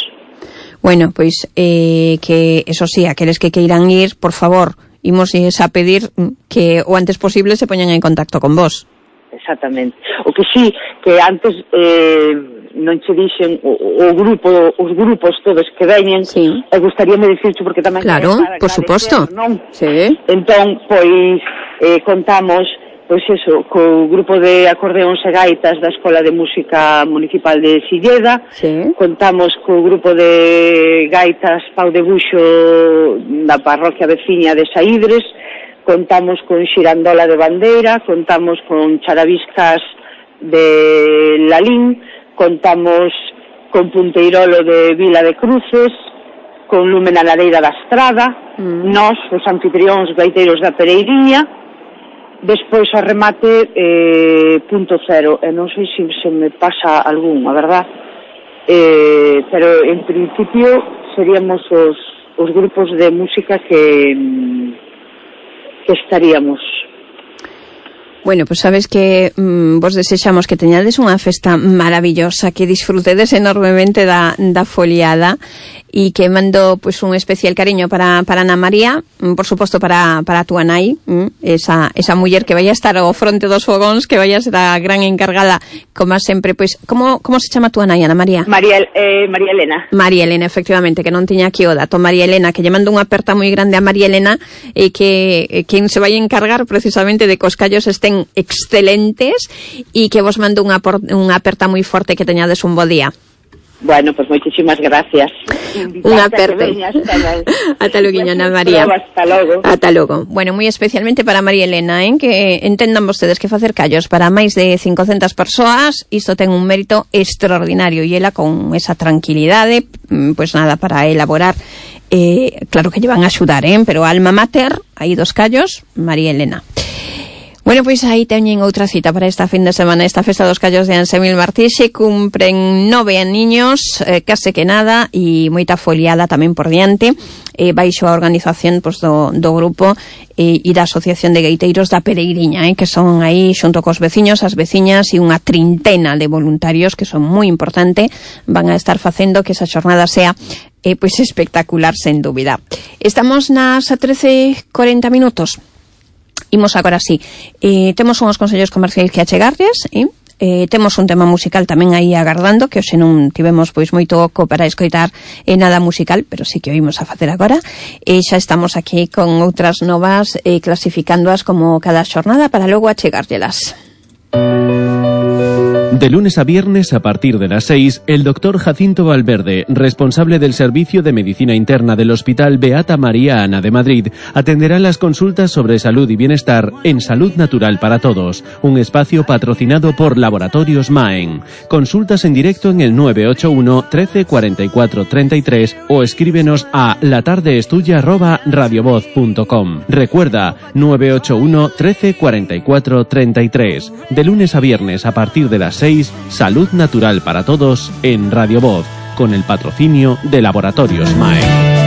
Bueno, pois, eh, que, eso sí, aqueles que queiran ir, por favor, imos a pedir que o antes posible se poñan en contacto con vos. Exactamente. O que sí, que antes eh, non che dixen o, o grupo, os grupos todos que veñen, sí. E gustaríame dicircho porque tamén... Claro, por suposto. Non? Sí. Entón, pois, eh, contamos... Pois eso, co grupo de acordeóns e gaitas da Escola de Música Municipal de Silleda, sí. Contamos co grupo de gaitas Pau de Buxo da parroquia veciña de Saídres, contamos con Xirandola de Bandeira, contamos con Charaviscas de Lalín, contamos con Punteirolo de Vila de Cruces, con Lume na Lareira da Estrada, mm. Nós, os anfitrións gaiteiros da Pereiriña. Despois ao remate eh, punto cero, e non sei se se me pasa algún, a verdad, eh, pero en principio seríamos os, os grupos de música que, que estaríamos. Bueno, pues sabes que mmm, vos desexamos que teñades unha festa maravillosa, que disfrutedes enormemente da, da foliada, e que mando pues un especial cariño para, para Ana María, por suposto para, para a túa nai, esa, esa muller que vai a estar ao fronte dos fogóns, que vai a ser a gran encargada, como sempre, pois, como, como se chama a túa nai, Ana María? María, eh, María Elena. María Elena, efectivamente, que non tiña aquí o dato. María Elena, que lle mando unha aperta moi grande a María Elena, e que eh, quen se vai a encargar precisamente de que os callos estén excelentes, e que vos mando unha, unha aperta moi forte, que teñades un bo día. Bueno, pues moitísimas gracias. Unha aperta. Ata logo, Ana María. Hasta logo. Ata logo. Bueno, moi especialmente para María Elena, ¿eh? Que entendan vostedes que facer callos para máis de cincocentas persoas, isto ten un mérito extraordinario, e ela con esa tranquilidade, pues nada, para elaborar, eh, claro que lle van a axudar, ¿eh? Pero alma mater, aí dos callos, María Elena. Bueno, pois aí teñen outra cita para esta fin de semana, esta festa dos callos de Ansemil Martí. Se cumpren nove aniños, eh, case que nada, e moita foliada tamén por diante, eh, baixo a organización pois, do, do grupo eh, e da Asociación de Gaiteiros da Pereiriña, eh, que son aí xunto cos veciños, as veciñas e unha trintena de voluntarios que son moi importante, van a estar facendo que esa xornada sea eh, pois espectacular, sen dúbida. Estamos nas trece e cuarenta minutos. Imos agora sí, eh, temos unhos consellos comerciais que achegarles, eh? Eh, temos un tema musical tamén aí agardando, que hoxe non tivemos pois moito oco para escoitar eh, nada musical, pero sí que oímos a facer agora. E eh, xa estamos aquí con outras novas, eh, clasificándoas como cada xornada para logo achegárllelas. De lunes a viernes a partir de las seis, el doctor Jacinto Valverde, responsable del Servicio de Medicina Interna del Hospital Beata María Ana de Madrid, atenderá las consultas sobre salud y bienestar en Salud Natural para Todos, un espacio patrocinado por Laboratorios Maen. Consultas en directo en el nueve ocho uno, trece, cuarenta y cuatro, treinta y tres o escríbenos a latardeestuya arroba radiovoz punto com. Recuerda, nueve ocho uno, trece, cuarenta y cuatro, treinta y tres. De lunes a viernes a partir de las seis, Salud Natural para Todos en Radio Voz, con el patrocinio de Laboratorios Maen.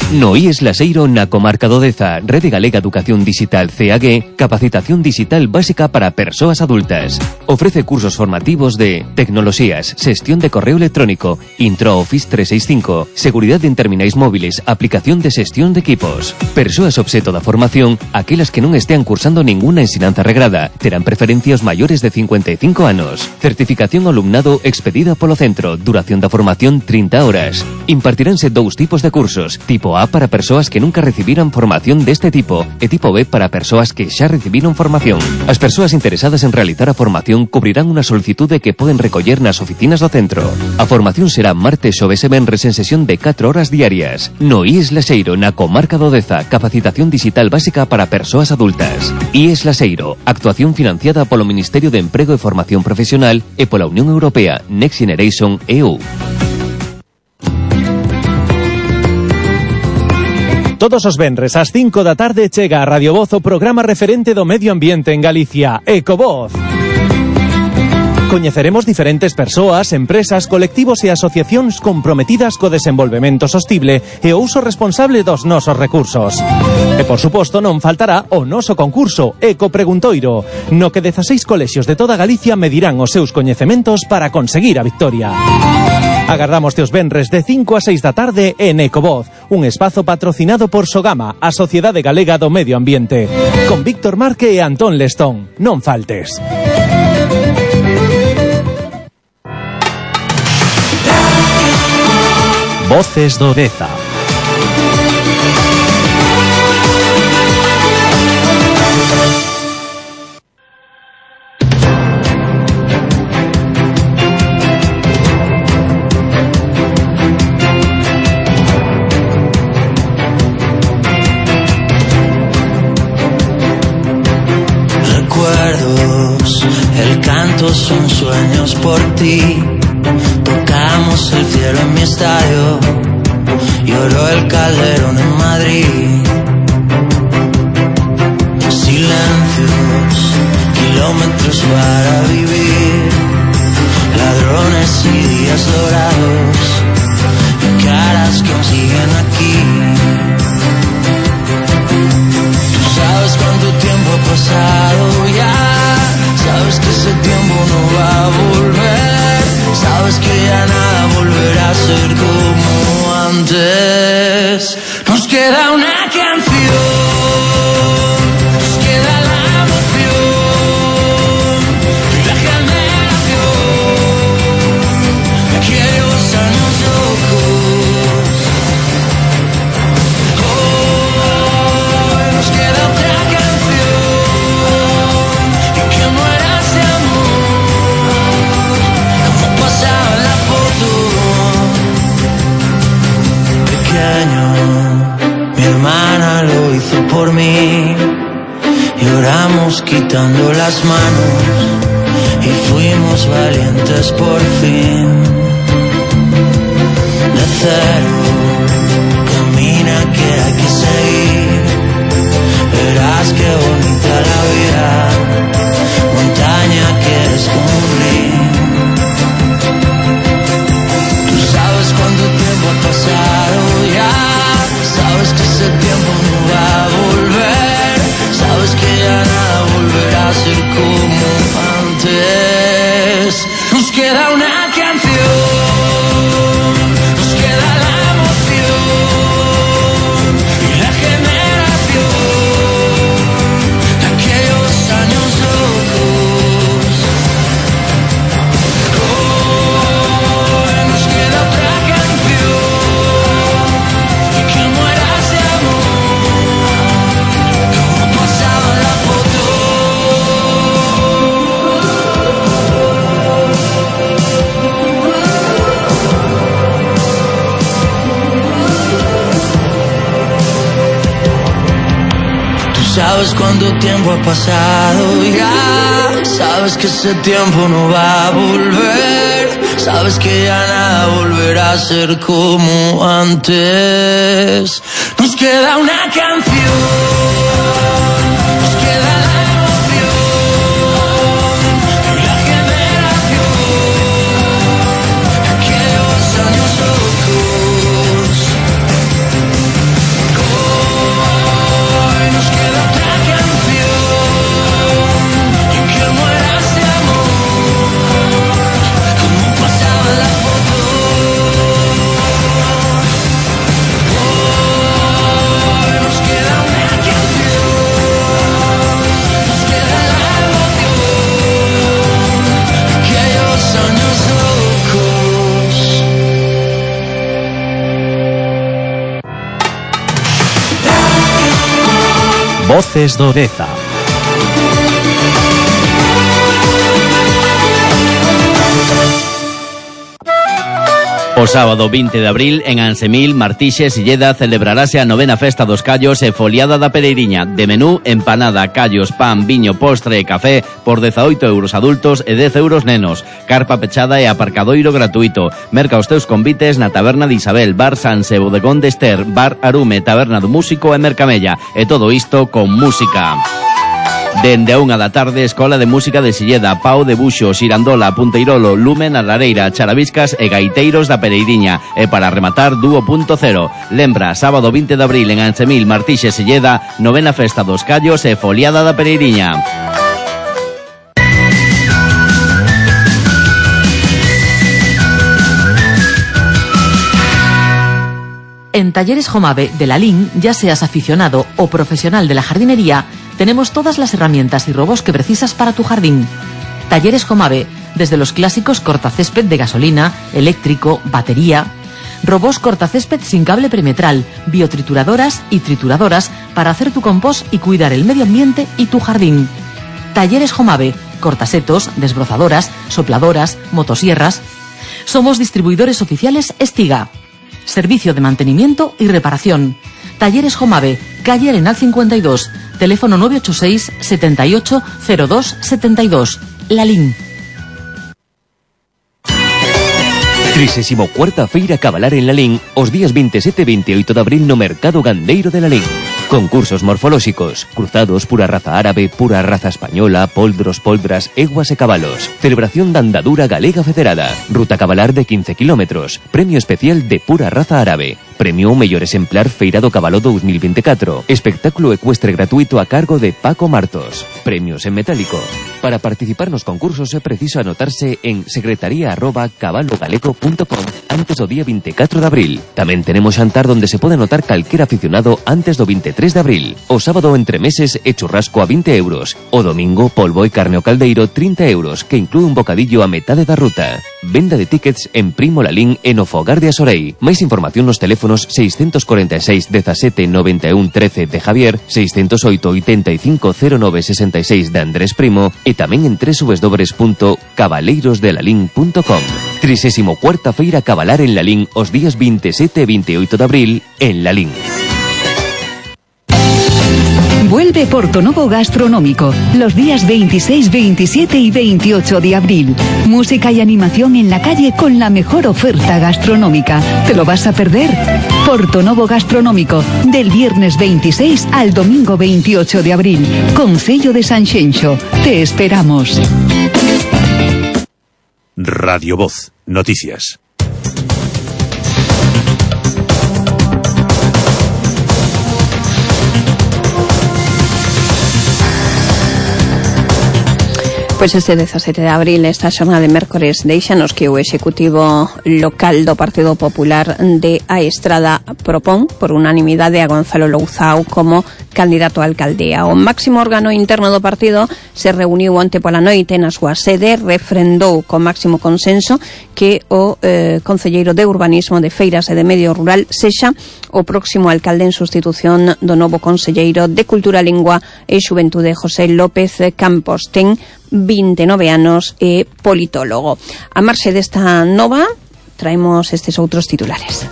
No I E S Laseiro na comarca do Deza, Rede Galega Educación Digital C A G, capacitación digital básica para persoas adultas. Ofrece cursos formativos de tecnoloxías, xestión de correo electrónico, Intro Office trescientos sesenta y cinco, seguridade en terminais móviles, aplicación de xestión de equipos. Persoas obxeto da formación, aquelas que non estean cursando ninguna ensinanza regrada, terán preferencia os maiores de cincuenta e cinco anos. Certificación ao alumnado expedida polo centro, duración da formación trinta horas. Impartiránse dous tipos de cursos, tipo A para persoas que nunca recibiran formación deste tipo e tipo B para persoas que xa recibiron formación. As persoas interesadas en realizar a formación cubrirán unha solicitude que poden recoller nas oficinas do centro. A formación será martes, xoves e venres en sesión de catro horas diarias. No I E S Laseiro, na comarca do Deza, capacitación digital básica para persoas adultas. I E S Laseiro, actuación financiada polo Ministerio de Emprego e Formación Profesional e pola Unión Europea Next Generation E U. Todos os venres ás cinco da tarde chega a Radio Voz o programa referente do medio ambiente en Galicia, Ecovoz. Coñeceremos diferentes persoas, empresas, colectivos e asociacións comprometidas co desenvolvemento sostible e o uso responsable dos nosos recursos. E, por suposto, non faltará o noso concurso, Eco Preguntoiro, no que dezaseis colexios de toda Galicia medirán os seus coñecementos para conseguir a victoria. Agardamos teus venres de cinco a seis da tarde en Ecovoz, un espazo patrocinado por Sogama, a Sociedade Galega do Medio Ambiente, con Víctor Marque e Antón Lestón. Non faltes. Voces do Deza. Son sueños por ti. Tocamos el cielo en mi estadio, lloró el Calderón en Madrid. Silencios, kilómetros para vivir, ladrones y días dorados, y caras que aún siguen aquí. Tú sabes cuánto tiempo ha pasado ya. Sabes que ese tiempo no va a volver. Sabes que ya nada volverá a ser como antes. Nos queda una canción, nos queda la emoción y la generación de aquellos años locos. Oh, nos queda otra canción y que muera. Mi hermana lo hizo por mí, lloramos quitando las manos y fuimos valientes por fin. De cero verás qué bonita la vida, montaña que es como un río. Tú sabes cuánto tiempo ha pasado ya, sabes que ese tiempo no va a volver, sabes que ya nada volverá a ser como antes. Nos queda una canción, nos queda la emoción y la generación de aquellos años locos. Hoy nos queda otra canción y que muera ese amor como pasaba en la foto. Sabes cuánto tiempo ha pasado ya, sabes que ese tiempo no va a volver, sabes que ya nada volverá a ser como antes. Nos queda una canción, nos queda la emoción y la generación de aquellos años locos. Hoy nos queda otra canción y que muera ese amor como pasaba en la foto. Hoy nos queda una canción, nos queda la emoción de aquellos años locos. Voces do Deza. O sábado vinte de abril, en Ansemil, Martixes, Silleda, celebrarase a novena festa dos callos e foliada da Pereiriña. De menú, empanada, callos, pan, viño, postre e café por dezaoito euros adultos e dez euros nenos. Carpa pechada e aparcadoiro gratuito. Merca os teus convites na Taberna de Isabel, Bar Sanse, Bodegón de Ester, Bar Arume, Taberna do Músico e Mercamella. E todo isto con música. Dende a unha da tarde, Escola de Música de Silleda, Pau de Buxo, Xirandola, Punteirolo, Lumen, a Lareira, Charaviscas e Gaiteiros da Pereiriña. E para rematar, Dúo punto cero. Lembra, sábado vinte de abril en Ansemil, Martixes, Silleda, novena festa dos callos e foliada da Pereiriña. En Talleres Jomave de la Lin, ya seas aficionado o profesional de la jardinería, tenemos todas las herramientas y robos que precisas para tu jardín. Talleres Jomave, desde los clásicos cortacésped de gasolina, eléctrico, batería, robos cortacésped sin cable perimetral, biotrituradoras y trituradoras para hacer tu compost y cuidar el medio ambiente y tu jardín. Talleres Jomave, cortasetos, desbrozadoras, sopladoras, motosierras. Somos distribuidores oficiales Estiga. Servicio de mantenimiento y reparación. Talleres Jomave, calle Arenal cincuenta y dos, teléfono nueve ocho seis, setenta y ocho, cero dos, setenta y dos. Lalín. trisésimo cuarta Feira Cabalar en Lalín os días veintisiete e veintioito de abril no Mercado Gandeiro de Lalín. Concursos morfolóxicos, cruzados pura raza árabe, pura raza española, poldros, poldras, eguas e cabalos. Celebración da andadura galega federada. Ruta cabalar de quince kilómetros. Premio especial de pura raza árabe. Premio mellor exemplar Feira do Cabalo dos mil veinticuatro. Espectáculo ecuestre gratuito a cargo de Paco Martos. Premios en metálico. Para participar nos concursos é preciso anotarse en secretaría arroba cabalogalego punto com antes do día veinticuatro de abril. Tamén tenemos xantar donde se pode anotar calquera aficionado antes do veintitrés de abril. O sábado entre meses e churrasco a vinte euros. O domingo polvo e carne ao caldeiro trinta euros, que inclúe un bocadillo a metade da ruta. Venda de tickets en Primo Lalín e no Fogar de Asorei. Máis información nos teléfonos seiscentos cuarenta y seis, diecisiete, noventa y uno, trece de Javier, seiscentos oito, ochenta y cinco, cero nueve, sesenta y seis de Andrés Primo e tamén en doble u doble u doble u punto cabaleiros de lalín punto com. trisésimo cuarta Feira Cabalar en Lalín os días veintisiete e veintioito de abril en Lalín. Vuelve Portonovo Gastronómico los días veintiséis, veintisiete y veintiocho de abril. Música y animación en la calle con la mejor oferta gastronómica. ¿Te lo vas a perder? Portonovo Gastronómico, del viernes veintiséis al domingo veintiocho de abril. Concello de Sanxenxo. Te esperamos. Radio Voz. Noticias. Pois este dezasete de abril, esta xornada de mércores, deixanos que o Executivo local do Partido Popular de A Estrada propón por unanimidade a Gonzalo Louzao como candidato a alcaldía. O máximo órgano interno do partido se reuniu onte pola noite na súa sede, refrendou con máximo consenso que o eh, concelleiro de Urbanismo, de Feiras e de Medio Rural sexa o próximo alcalde en sustitución do novo concelleiro de Cultura, Lingua e Xuventude, José López Campos. Ten vinte e nove anos e politólogo. A marxe desta nova, traemos estes outros titulares.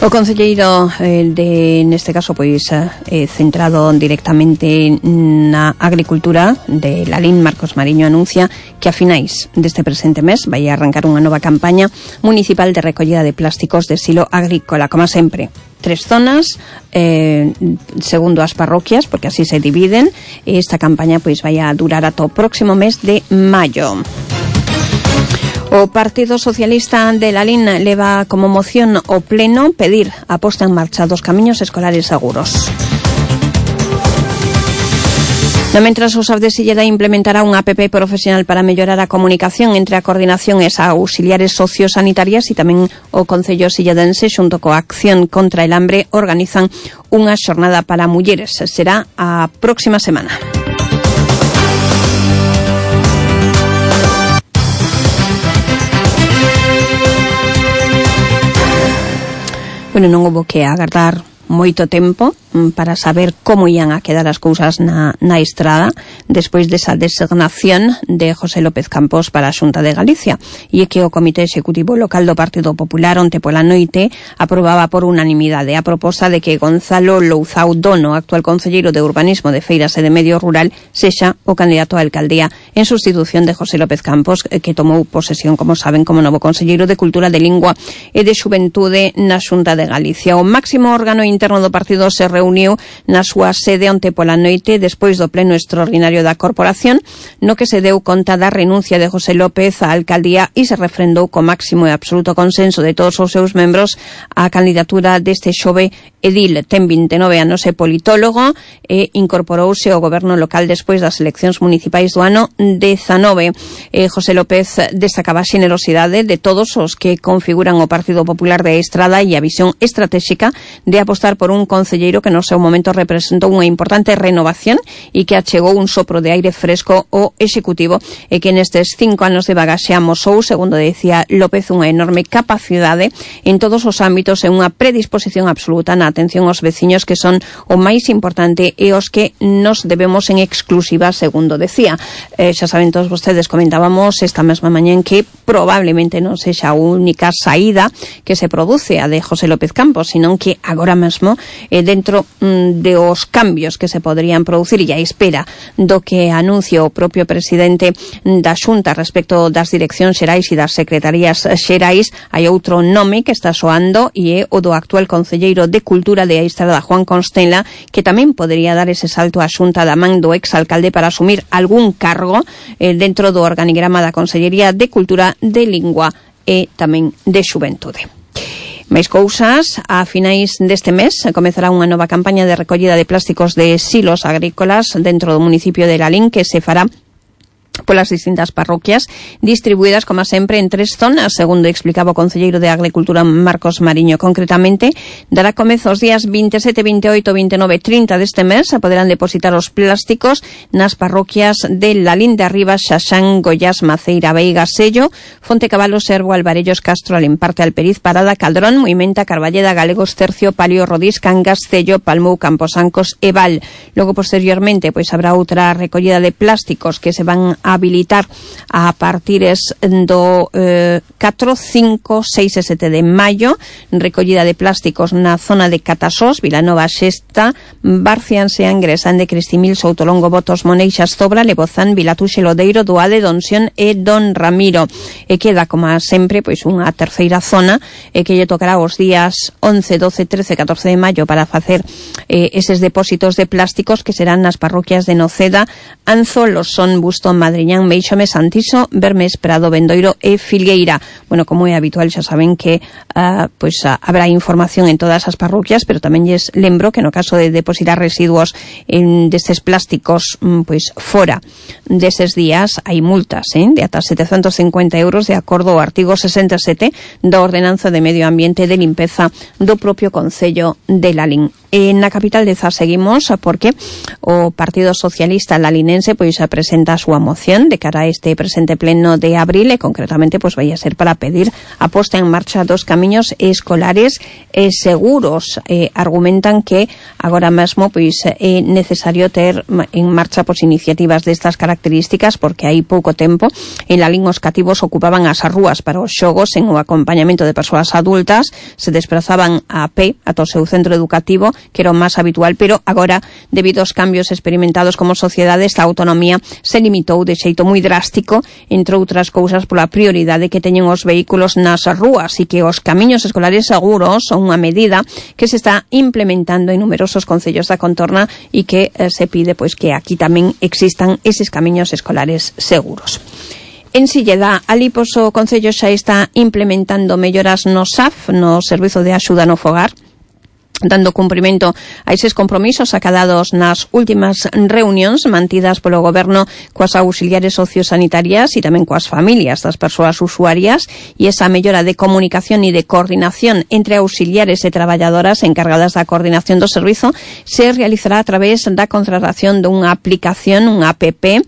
O concelleiro eh, de, neste caso, pois eh, centrado directamente na agricultura de Lalín, Marcos Mariño, anuncia que a finais deste presente mes vai arrancar unha nova campaña municipal de recollida de plásticos de silo agrícola, como sempre. Tres zonas, eh, segundo as parroquias, porque así se dividen. Esta campaña pois vai a durar ata o próximo mes de maio. O Partido Socialista de Lalín leva como moción o pleno pedir a posta en marcha dos camiños escolares seguros. No mentras, o S A F de Silleda implementará unha app profesional para mellorar a comunicación entre a coordinación e as auxiliares sociosanitarias, e tamén o Concello Silledense xunto coa Acción contra el Hambre organizan unha xornada para mulleres. Será a próxima semana. Bueno, non houbo que agardar moito tempo para saber como ian a quedar as cousas na, na Estrada despois desa designación de José López Campos para a Xunta de Galicia. E é que o Comité Executivo Local do Partido Popular onte pola noite aprobaba por unanimidade a proposta de que Gonzalo Louzao Dono, actual concelleiro de Urbanismo, de Feiras e de Medio Rural, sexa o candidato á alcaldía en sustitución de José López Campos, que tomou posesión, como saben, como novo concelleiro de Cultura, de Lingua e de Xuventude na Xunta de Galicia. O máximo órgano interno do partido se reuniu na súa sede onte pola noite despois do pleno extraordinario da corporación, no que se deu conta da renuncia de José López á alcaldía e se refrendou co máximo e absoluto consenso de todos os seus membros a candidatura deste xove edil. Ten vinte e nove anos, e politólogo, e incorporouse ao goberno local despois das eleccións municipais do ano dezanove. Eh, José López destacaba a xenerosidade de todos os que configuran o Partido Popular de Estrada e a visión estratégica de apostar por un concelleiro que no seu momento representou unha importante renovación e que achegou un sopro de aire fresco ao Executivo, e que nestes cinco anos de bagaxe amosou, segundo decía López, unha enorme capacidade en todos os ámbitos e unha predisposición absoluta na atención aos veciños, que son o máis importante e os que nos debemos en exclusiva, segundo decía. Eh, xa saben todos vostedes, comentábamos esta mesma mañá en que probablemente non sexa a única saída que se produce a de José López Campos, sino que agora mesmo eh, dentro mm, de os cambios que se poderían producir e a espera do que anuncie o propio presidente da Xunta respecto das direccións xerais e das secretarías xerais, hai outro nome que está soando e é o do actual concelleiro de Cultura de A Estrada, Juan Constela, que tamén podería dar ese salto á Xunta da man do exalcalde para asumir algún cargo eh, dentro do organigrama da Consellería de Cultura, de Lingua e tamén de Xuventude. Máis cousas, a finais deste mes comezará unha nova campaña de recollida de plásticos de silos agrícolas dentro do municipio de Lalín, que se fará polas distintas parroquias, distribuídas, como sempre, en tres zonas, segundo explicaba o concelleiro de Agricultura, Marcos Mariño. Concretamente, dará comezo os días vinte e sete, vinte e oito, vinte e nove e trinta deste mes. Se poderán depositar os plásticos nas parroquias de Lalín de Arriba, Xaxán, Goiás, Maceira, Veiga, Sello, Fonte Cabalo, Servo, Alvarellos, Castro, Alimparte, Alperiz, Parada, Caldrón, Moimenta, Carballeda, Galegos, Tercio, Palio, Rodís, Cangas, Cello, Palmou, Camposancos e Val. Logo, posteriormente, pois habrá outra recollida de plásticos que se van a habilitar a partires do eh, catro, cinco, seis e sete de maio recollida de plásticos na zona de Catasós, Vilanova Xesta, Barcian, Seangre, San de Cristimil, Soutolongo, Botos, Moneixas, Zobra, Lebozán, Vilatuxe, Lodeiro, Doade, Donsión e Don Ramiro. E queda, como sempre, pois unha terceira zona e que lle tocará os días once, doce, trece, catorce de maio para facer eh, eses depósitos de plásticos que serán nas parroquias de Noceda, Anzo, Losón, Bustón, Madriñán, Meixome, Santiso, Bermes, Prado, Bendoiro e Filgueira. Bueno, como é habitual, xa saben que uh, pois, uh, habrá información en todas as parroquias, pero tamén lles lembro que no caso de depositar residuos en destes plásticos mm, pois fora deses días hai multas eh, de ata setecentos cincuenta euros de acordo ao artigo sesenta e sete da Ordenanza de Medio Ambiente de Limpeza do propio Concello de Lalín. En na capital de Zas seguimos porque o Partido Socialista lalinense pois presenta a súa moción de cara a este presente pleno de abril e concretamente pois vai a ser para pedir a posta en marcha dos camiños escolares e seguros. Eh, argumentan que agora mesmo pois é necesario ter en marcha pois iniciativas destas características porque hai pouco tempo en Lalín os cativos ocupaban as rúas para os xogos en o acompañamento de persoas adultas, se desplazaban a pé ata o seu centro educativo, que era o máis habitual, pero agora, debido aos cambios experimentados como sociedade, esta autonomía se limitou de xeito moi drástico, entre outras cousas pola prioridade que teñen os vehículos nas rúas e que os camiños escolares seguros son unha medida que se está implementando en numerosos concellos da contorna e que eh, se pide pois que aquí tamén existan eses camiños escolares seguros. En Silleda, ali pois o Concello xa está implementando melloras no S A F, no Servizo de Axuda no Fogar, dando cumprimento a eses compromisos acadados nas últimas reunións mantidas polo Goberno coas auxiliares sociosanitarias e tamén coas familias das persoas usuarias, e esa mellora de comunicación e de coordinación entre auxiliares e traballadoras encargadas da coordinación do servizo se realizará a través da contratación dunha aplicación, unha app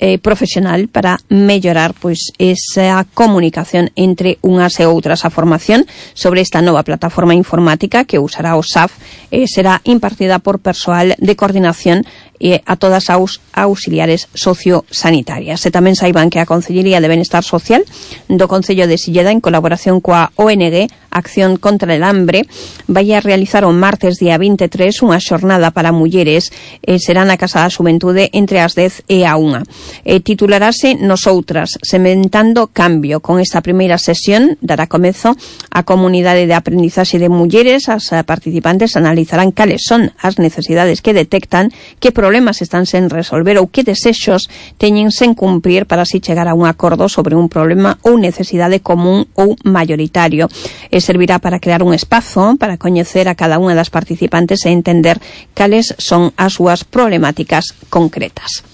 Eh, profesional para mellorar pois esa comunicación entre unhas e outras. A formación sobre esta nova plataforma informática que usará o S A F eh, será impartida por persoal de coordinación e a todas as auxiliares sociosanitarias. E tamén saiban que a Concellería de Benestar Social do Concello de Silleda, en colaboración coa O N G Acción contra el Hambre, vai a realizar o martes día vinte e tres unha xornada para mulleres, e será na Casa da Xuventude entre as dez e a unha. E titularase Nosoutras, sementando cambio. Con esta primeira sesión dará comezo a comunidade de aprendizaxe de mulleres. As participantes analizarán cales son as necesidades que detectan, que problemas están sen resolver ou que desexos teñen sen cumprir para así chegar a un acordo sobre un problema ou necesidade común ou mayoritario. E servirá para crear un espazo para coñecer a cada unha das participantes e entender cales son as súas problemáticas concretas.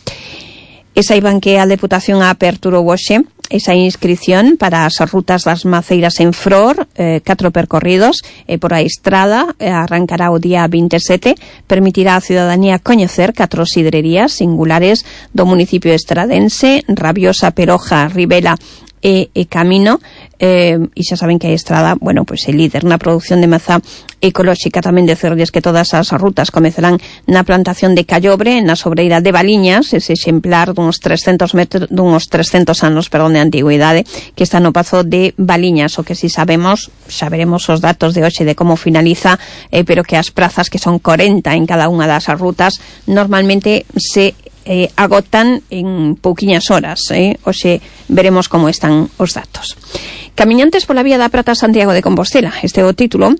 E saiban que a Deputación aperturou hoxe esa inscripción para as rutas das maceiras en Fror, eh, catro percorridos e por a estrada, eh, arrancará o día vinte e sete, permitirá á ciudadanía coñecer catro sidrerías singulares do municipio estradense, Rabiosa, Peroja, Ribela e, e Camino, eh, e xa saben que a estrada, bueno, pois é líder na produción de mazá ecolóxica. Tamén decerles que todas as rutas comezarán na plantación de Callobre, na sobreira de Baliñas, ese exemplar duns trescentos metros, duns trescentos anos, perdón, de antigüidade, que está no pazo de Baliñas. O que si sabemos, xa veremos os datos de hoxe de como finaliza, eh, pero que as prazas, que son corenta en cada unha das rutas, normalmente se Eh, agotan en pouquiñas horas. Eh? Oxe, veremos como están os datos. Camiñantes pola Vía da Prata, Santiago de Compostela. Este é o título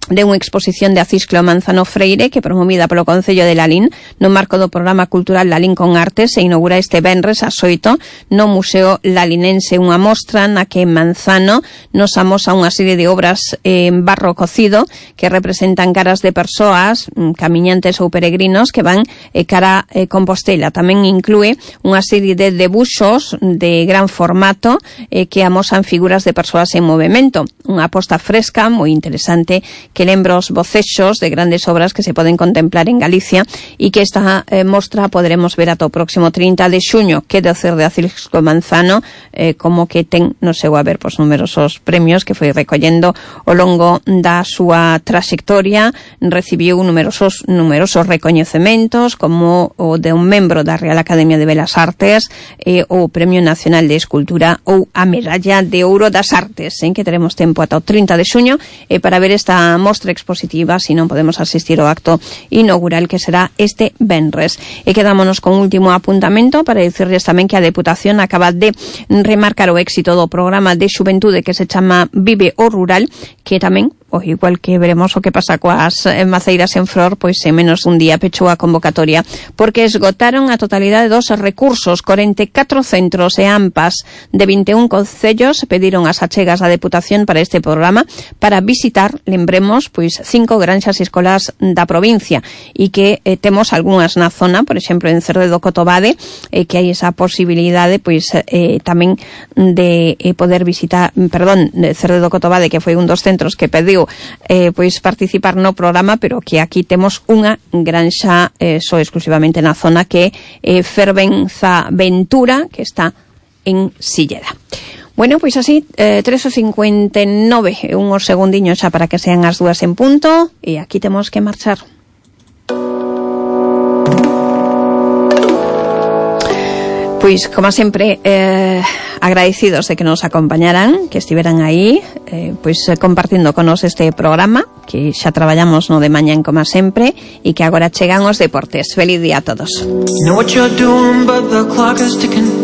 de unha exposición de Acisclo Manzano Freire que, promovida polo Concello de Lalín no marco do programa cultural Lalín con Arte, se inaugura este venres ás oito no Museo Lalinense, unha mostra na que Manzano nos amosa unha serie de obras en barro cocido que representan caras de persoas, camiñantes ou peregrinos que van eh, cara eh, Compostela. Tamén inclúe unha serie de debuxos de gran formato eh, que amosan figuras de persoas en movimento. Unha aposta fresca, moi interesante, que lembra os bocexos de grandes obras que se poden contemplar en Galicia e que esta eh, mostra poderemos ver ata o próximo trinta de xuño, que decir de Acisco Manzano, eh, como que ten no seu haber pois, numerosos premios que foi recollendo ao longo da súa traxectoria. Recibiu numerosos numerosos recoñecementos, como o de un membro da Real Academia de Belas Artes, eh, o Premio Nacional de Escultura ou a Medalla de Ouro das Artes, en que teremos tempo ata o trinta de xuño eh, para ver esta mostra expositiva, se non podemos asistir ao acto inaugural que será este venres. E quedámonos con un último apuntamento para dicirles tamén que a Deputación acaba de remarcar o éxito do programa de xuventude que se chama Vive o Rural, que tamén, o igual que veremos o que pasa coas maceiras en flor, pois en menos dun día pechou a convocatoria, porque esgotaron a totalidade dos recursos. corenta e catro centros e AMPAs de vinte e un concellos pediron as achegas da Deputación para este programa para visitar, lembremos, pois cinco granxas escolas da provincia, e que eh, temos algunhas na zona, por exemplo, en Cerredo Cotobade, eh, que hai esa posibilidade, pois eh, tamén de eh, poder visitar, perdón, de Cerredo Cotobade, que foi un dos centros que pediu eh, pois participar no programa, pero que aquí temos unha granxa eh, só exclusivamente na zona, que é eh, Fervenza Ventura, que está en Silleda. Bueno, pois así, eh, tres e cincuenta e nove, unhos segundiños xa para que sean as dúas en punto, e aquí temos que marchar. Pois, como sempre, eh, agradecidos de que nos acompañaran, que estiveran aí, eh, pois compartindo con nos este programa, que xa traballamos no de mañán como sempre, e que agora chegan os deportes. Feliz día a todos. You know what you're doing, but the clock is ticking.